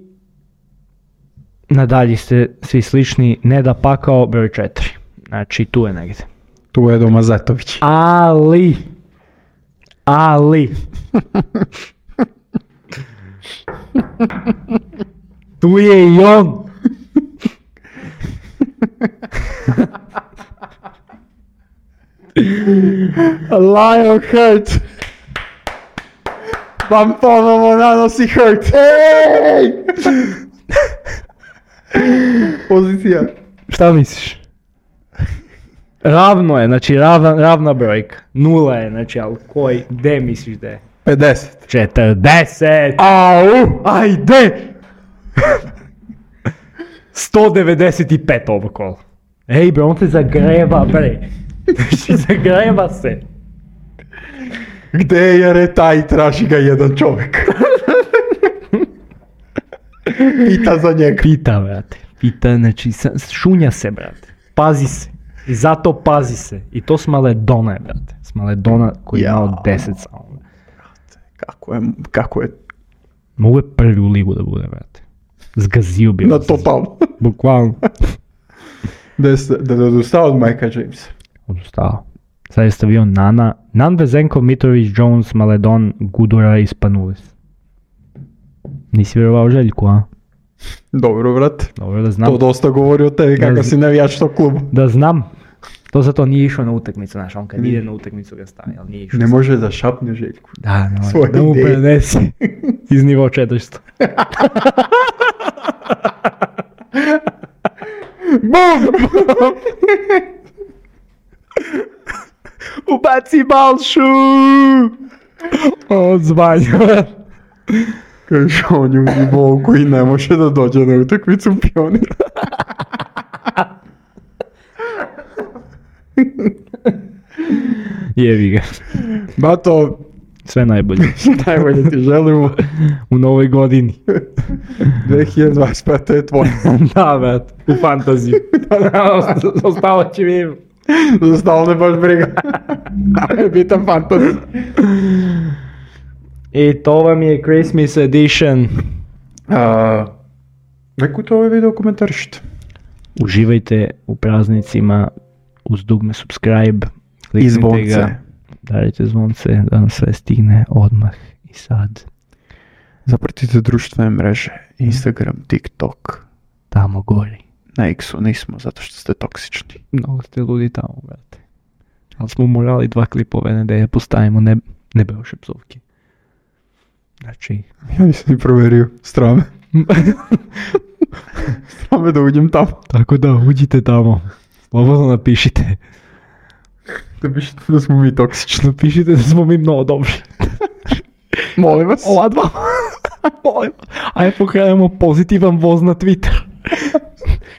Speaker 2: nadalje ste svi slični, Neda Pakao broj četiri. Znači tu je negdje.
Speaker 1: Tu je Edo Mazetović.
Speaker 2: Ali, ali, tu je i on.
Speaker 1: Lionheart. Vam ponovo nanosi hurt. Ej! Pozicija.
Speaker 2: Šta misliš? Ravno je, znači ravna, ravna brojka. Nula je, znači, ali koji, gde misliš da je?
Speaker 1: pedeset.
Speaker 2: četrdeset!
Speaker 1: Au!
Speaker 2: Ajde! sto devedeset pet ovo kolo. Ej bre, on se zagreva bre. Znači zagreva se.
Speaker 1: Gde je Retaj, traži ga jedan čovjek. Pita za njega.
Speaker 2: Pita, brate. Pita, znači, sa- šunja se, brate. Pazi se. I zato pazi se. I to s Maledona je, brate. S Maledona koji je
Speaker 1: Ja.
Speaker 2: imao deset samo.
Speaker 1: Kako je, kako je
Speaker 2: Mogu je prvi u ligu da bude, brate. Zgazio bi.
Speaker 1: na
Speaker 2: vas.
Speaker 1: totalno.
Speaker 2: Bukvalno.
Speaker 1: Da je s- da je odustao od Majka Jamesa.
Speaker 2: Odustao. Sad je stavio Nana. Nan, Vezenkov, Mitrović, Jones, Maledon, Gudura i Spanulis. Nisi vjerovao Željku, a?
Speaker 1: Dobro, brate.
Speaker 2: Dobro da znam.
Speaker 1: To dosta govori o tebi,
Speaker 2: Da
Speaker 1: kakav
Speaker 2: z-
Speaker 1: si navijač tog kluba.
Speaker 2: Da znam. To zato nije išao na utakmicu, znaš, on kad ide na utakmicu ga stavi, ali nije išao.
Speaker 1: Ne može da šapne Željku.
Speaker 2: Da, ne može.
Speaker 1: Svoje
Speaker 2: Da mu
Speaker 1: ideje.
Speaker 2: prenesi iz nivo četiristo.
Speaker 1: Bum!
Speaker 2: Ubaci Balšu! Odzvanjava.
Speaker 1: Kaže, on je u nivou koji ne može da dođe na utakmicu Pionira.
Speaker 2: Jevi ga.
Speaker 1: Bato,
Speaker 2: Sve najbolje.
Speaker 1: najbolje ti želimo.
Speaker 2: U novoj godini.
Speaker 1: dve hiljade dvadeset peta je tvoja.
Speaker 2: Da, brat. U fantaziju. Ostalo će mi.
Speaker 1: Za stalno ne baš briga. Ali je bitan fantazija.
Speaker 2: I to vam je Christmas edition.
Speaker 1: A, Nekute ovaj video komentarišite.
Speaker 2: Uživajte u praznicima uz dugme subscribe.
Speaker 1: I
Speaker 2: Kliknite
Speaker 1: zvonce.
Speaker 2: ga. Darite zvonce da nam sve stigne odmah i sad.
Speaker 1: Zapratite društvene mreže. Instagram, TikTok.
Speaker 2: Tamo gori.
Speaker 1: Na X-u nismo zato što ste toksični.
Speaker 2: Mnogo ste ludi tamo, brate. Ali smo morali dva klipove nedelje postavimo, ne, ne beoše psovke. Znači,
Speaker 1: Ja nisam ni proverio. Strame. Strame da uđem tamo.
Speaker 2: tako da uđite tamo. Slobodno napišite.
Speaker 1: Da pišete da smo mi toksični.
Speaker 2: Napišite da smo mi mnogo dobri.
Speaker 1: Molim vas.
Speaker 2: Ova dva. Molim. Ajde pokrenemo pozitivan voz na Twitter.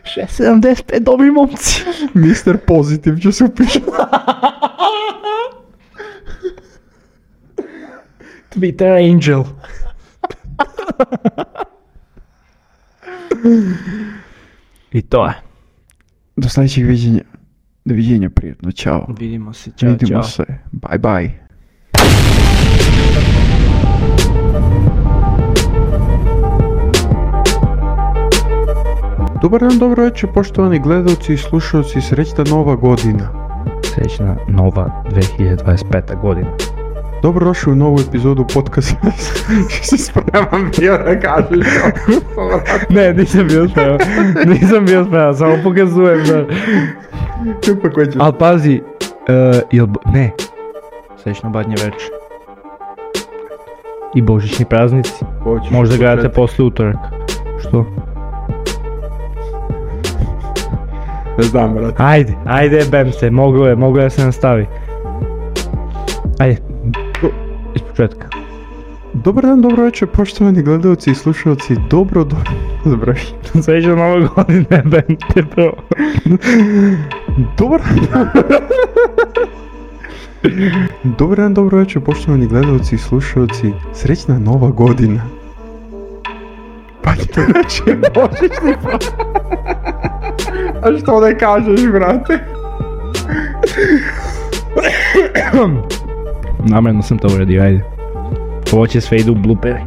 Speaker 2: šest sedamdeset pet dobri momci.
Speaker 1: mister Pozitiv će se upišati.
Speaker 2: Twitter Angel. I to je.
Speaker 1: Do sljedećeg viđenja. Doviđenja, prijetno, čao.
Speaker 2: Vidimo se, čao,
Speaker 1: Vidimo
Speaker 2: čao.
Speaker 1: se. Bye bye. Dobar dan, dobro večer, poštovani gledalci i slušalci, srećna nova godina.
Speaker 2: Srećna nova dve hiljade dvadeset peta godina.
Speaker 1: Dobrodošli u novu epizodu podcasta. Se spreman bio da kažeš.
Speaker 2: Ne, nisam bio spreman. Nisam bio spreman, samo pokazujem da...
Speaker 1: Pa koji će?
Speaker 2: Al pazi, uh, jel... bo- Ne. Srećno badnje večer. I božićni praznici.
Speaker 1: Hoćeš
Speaker 2: Možda
Speaker 1: početi?
Speaker 2: gledate posle utorak. Što?
Speaker 1: Ne znam, brate.
Speaker 2: Ajde, ajde, bem se, moglo je, moglo je da se nastavi. Ajde, iz početka.
Speaker 1: Dobar dan, dobro večer, poštovani gledalci i slušalci. Dobro, dobro. Dobro.
Speaker 2: Srećno nove godine, bem te prvo.
Speaker 1: Dobar Dobar dan, dobro večer, poštovani gledalci i slušalci. Srećna nova godina. Pa to reći božićni pa. A što ne kažeš, brate?
Speaker 2: Namjerno sam to uradio, ajde. Ovo će sve idu u blupere.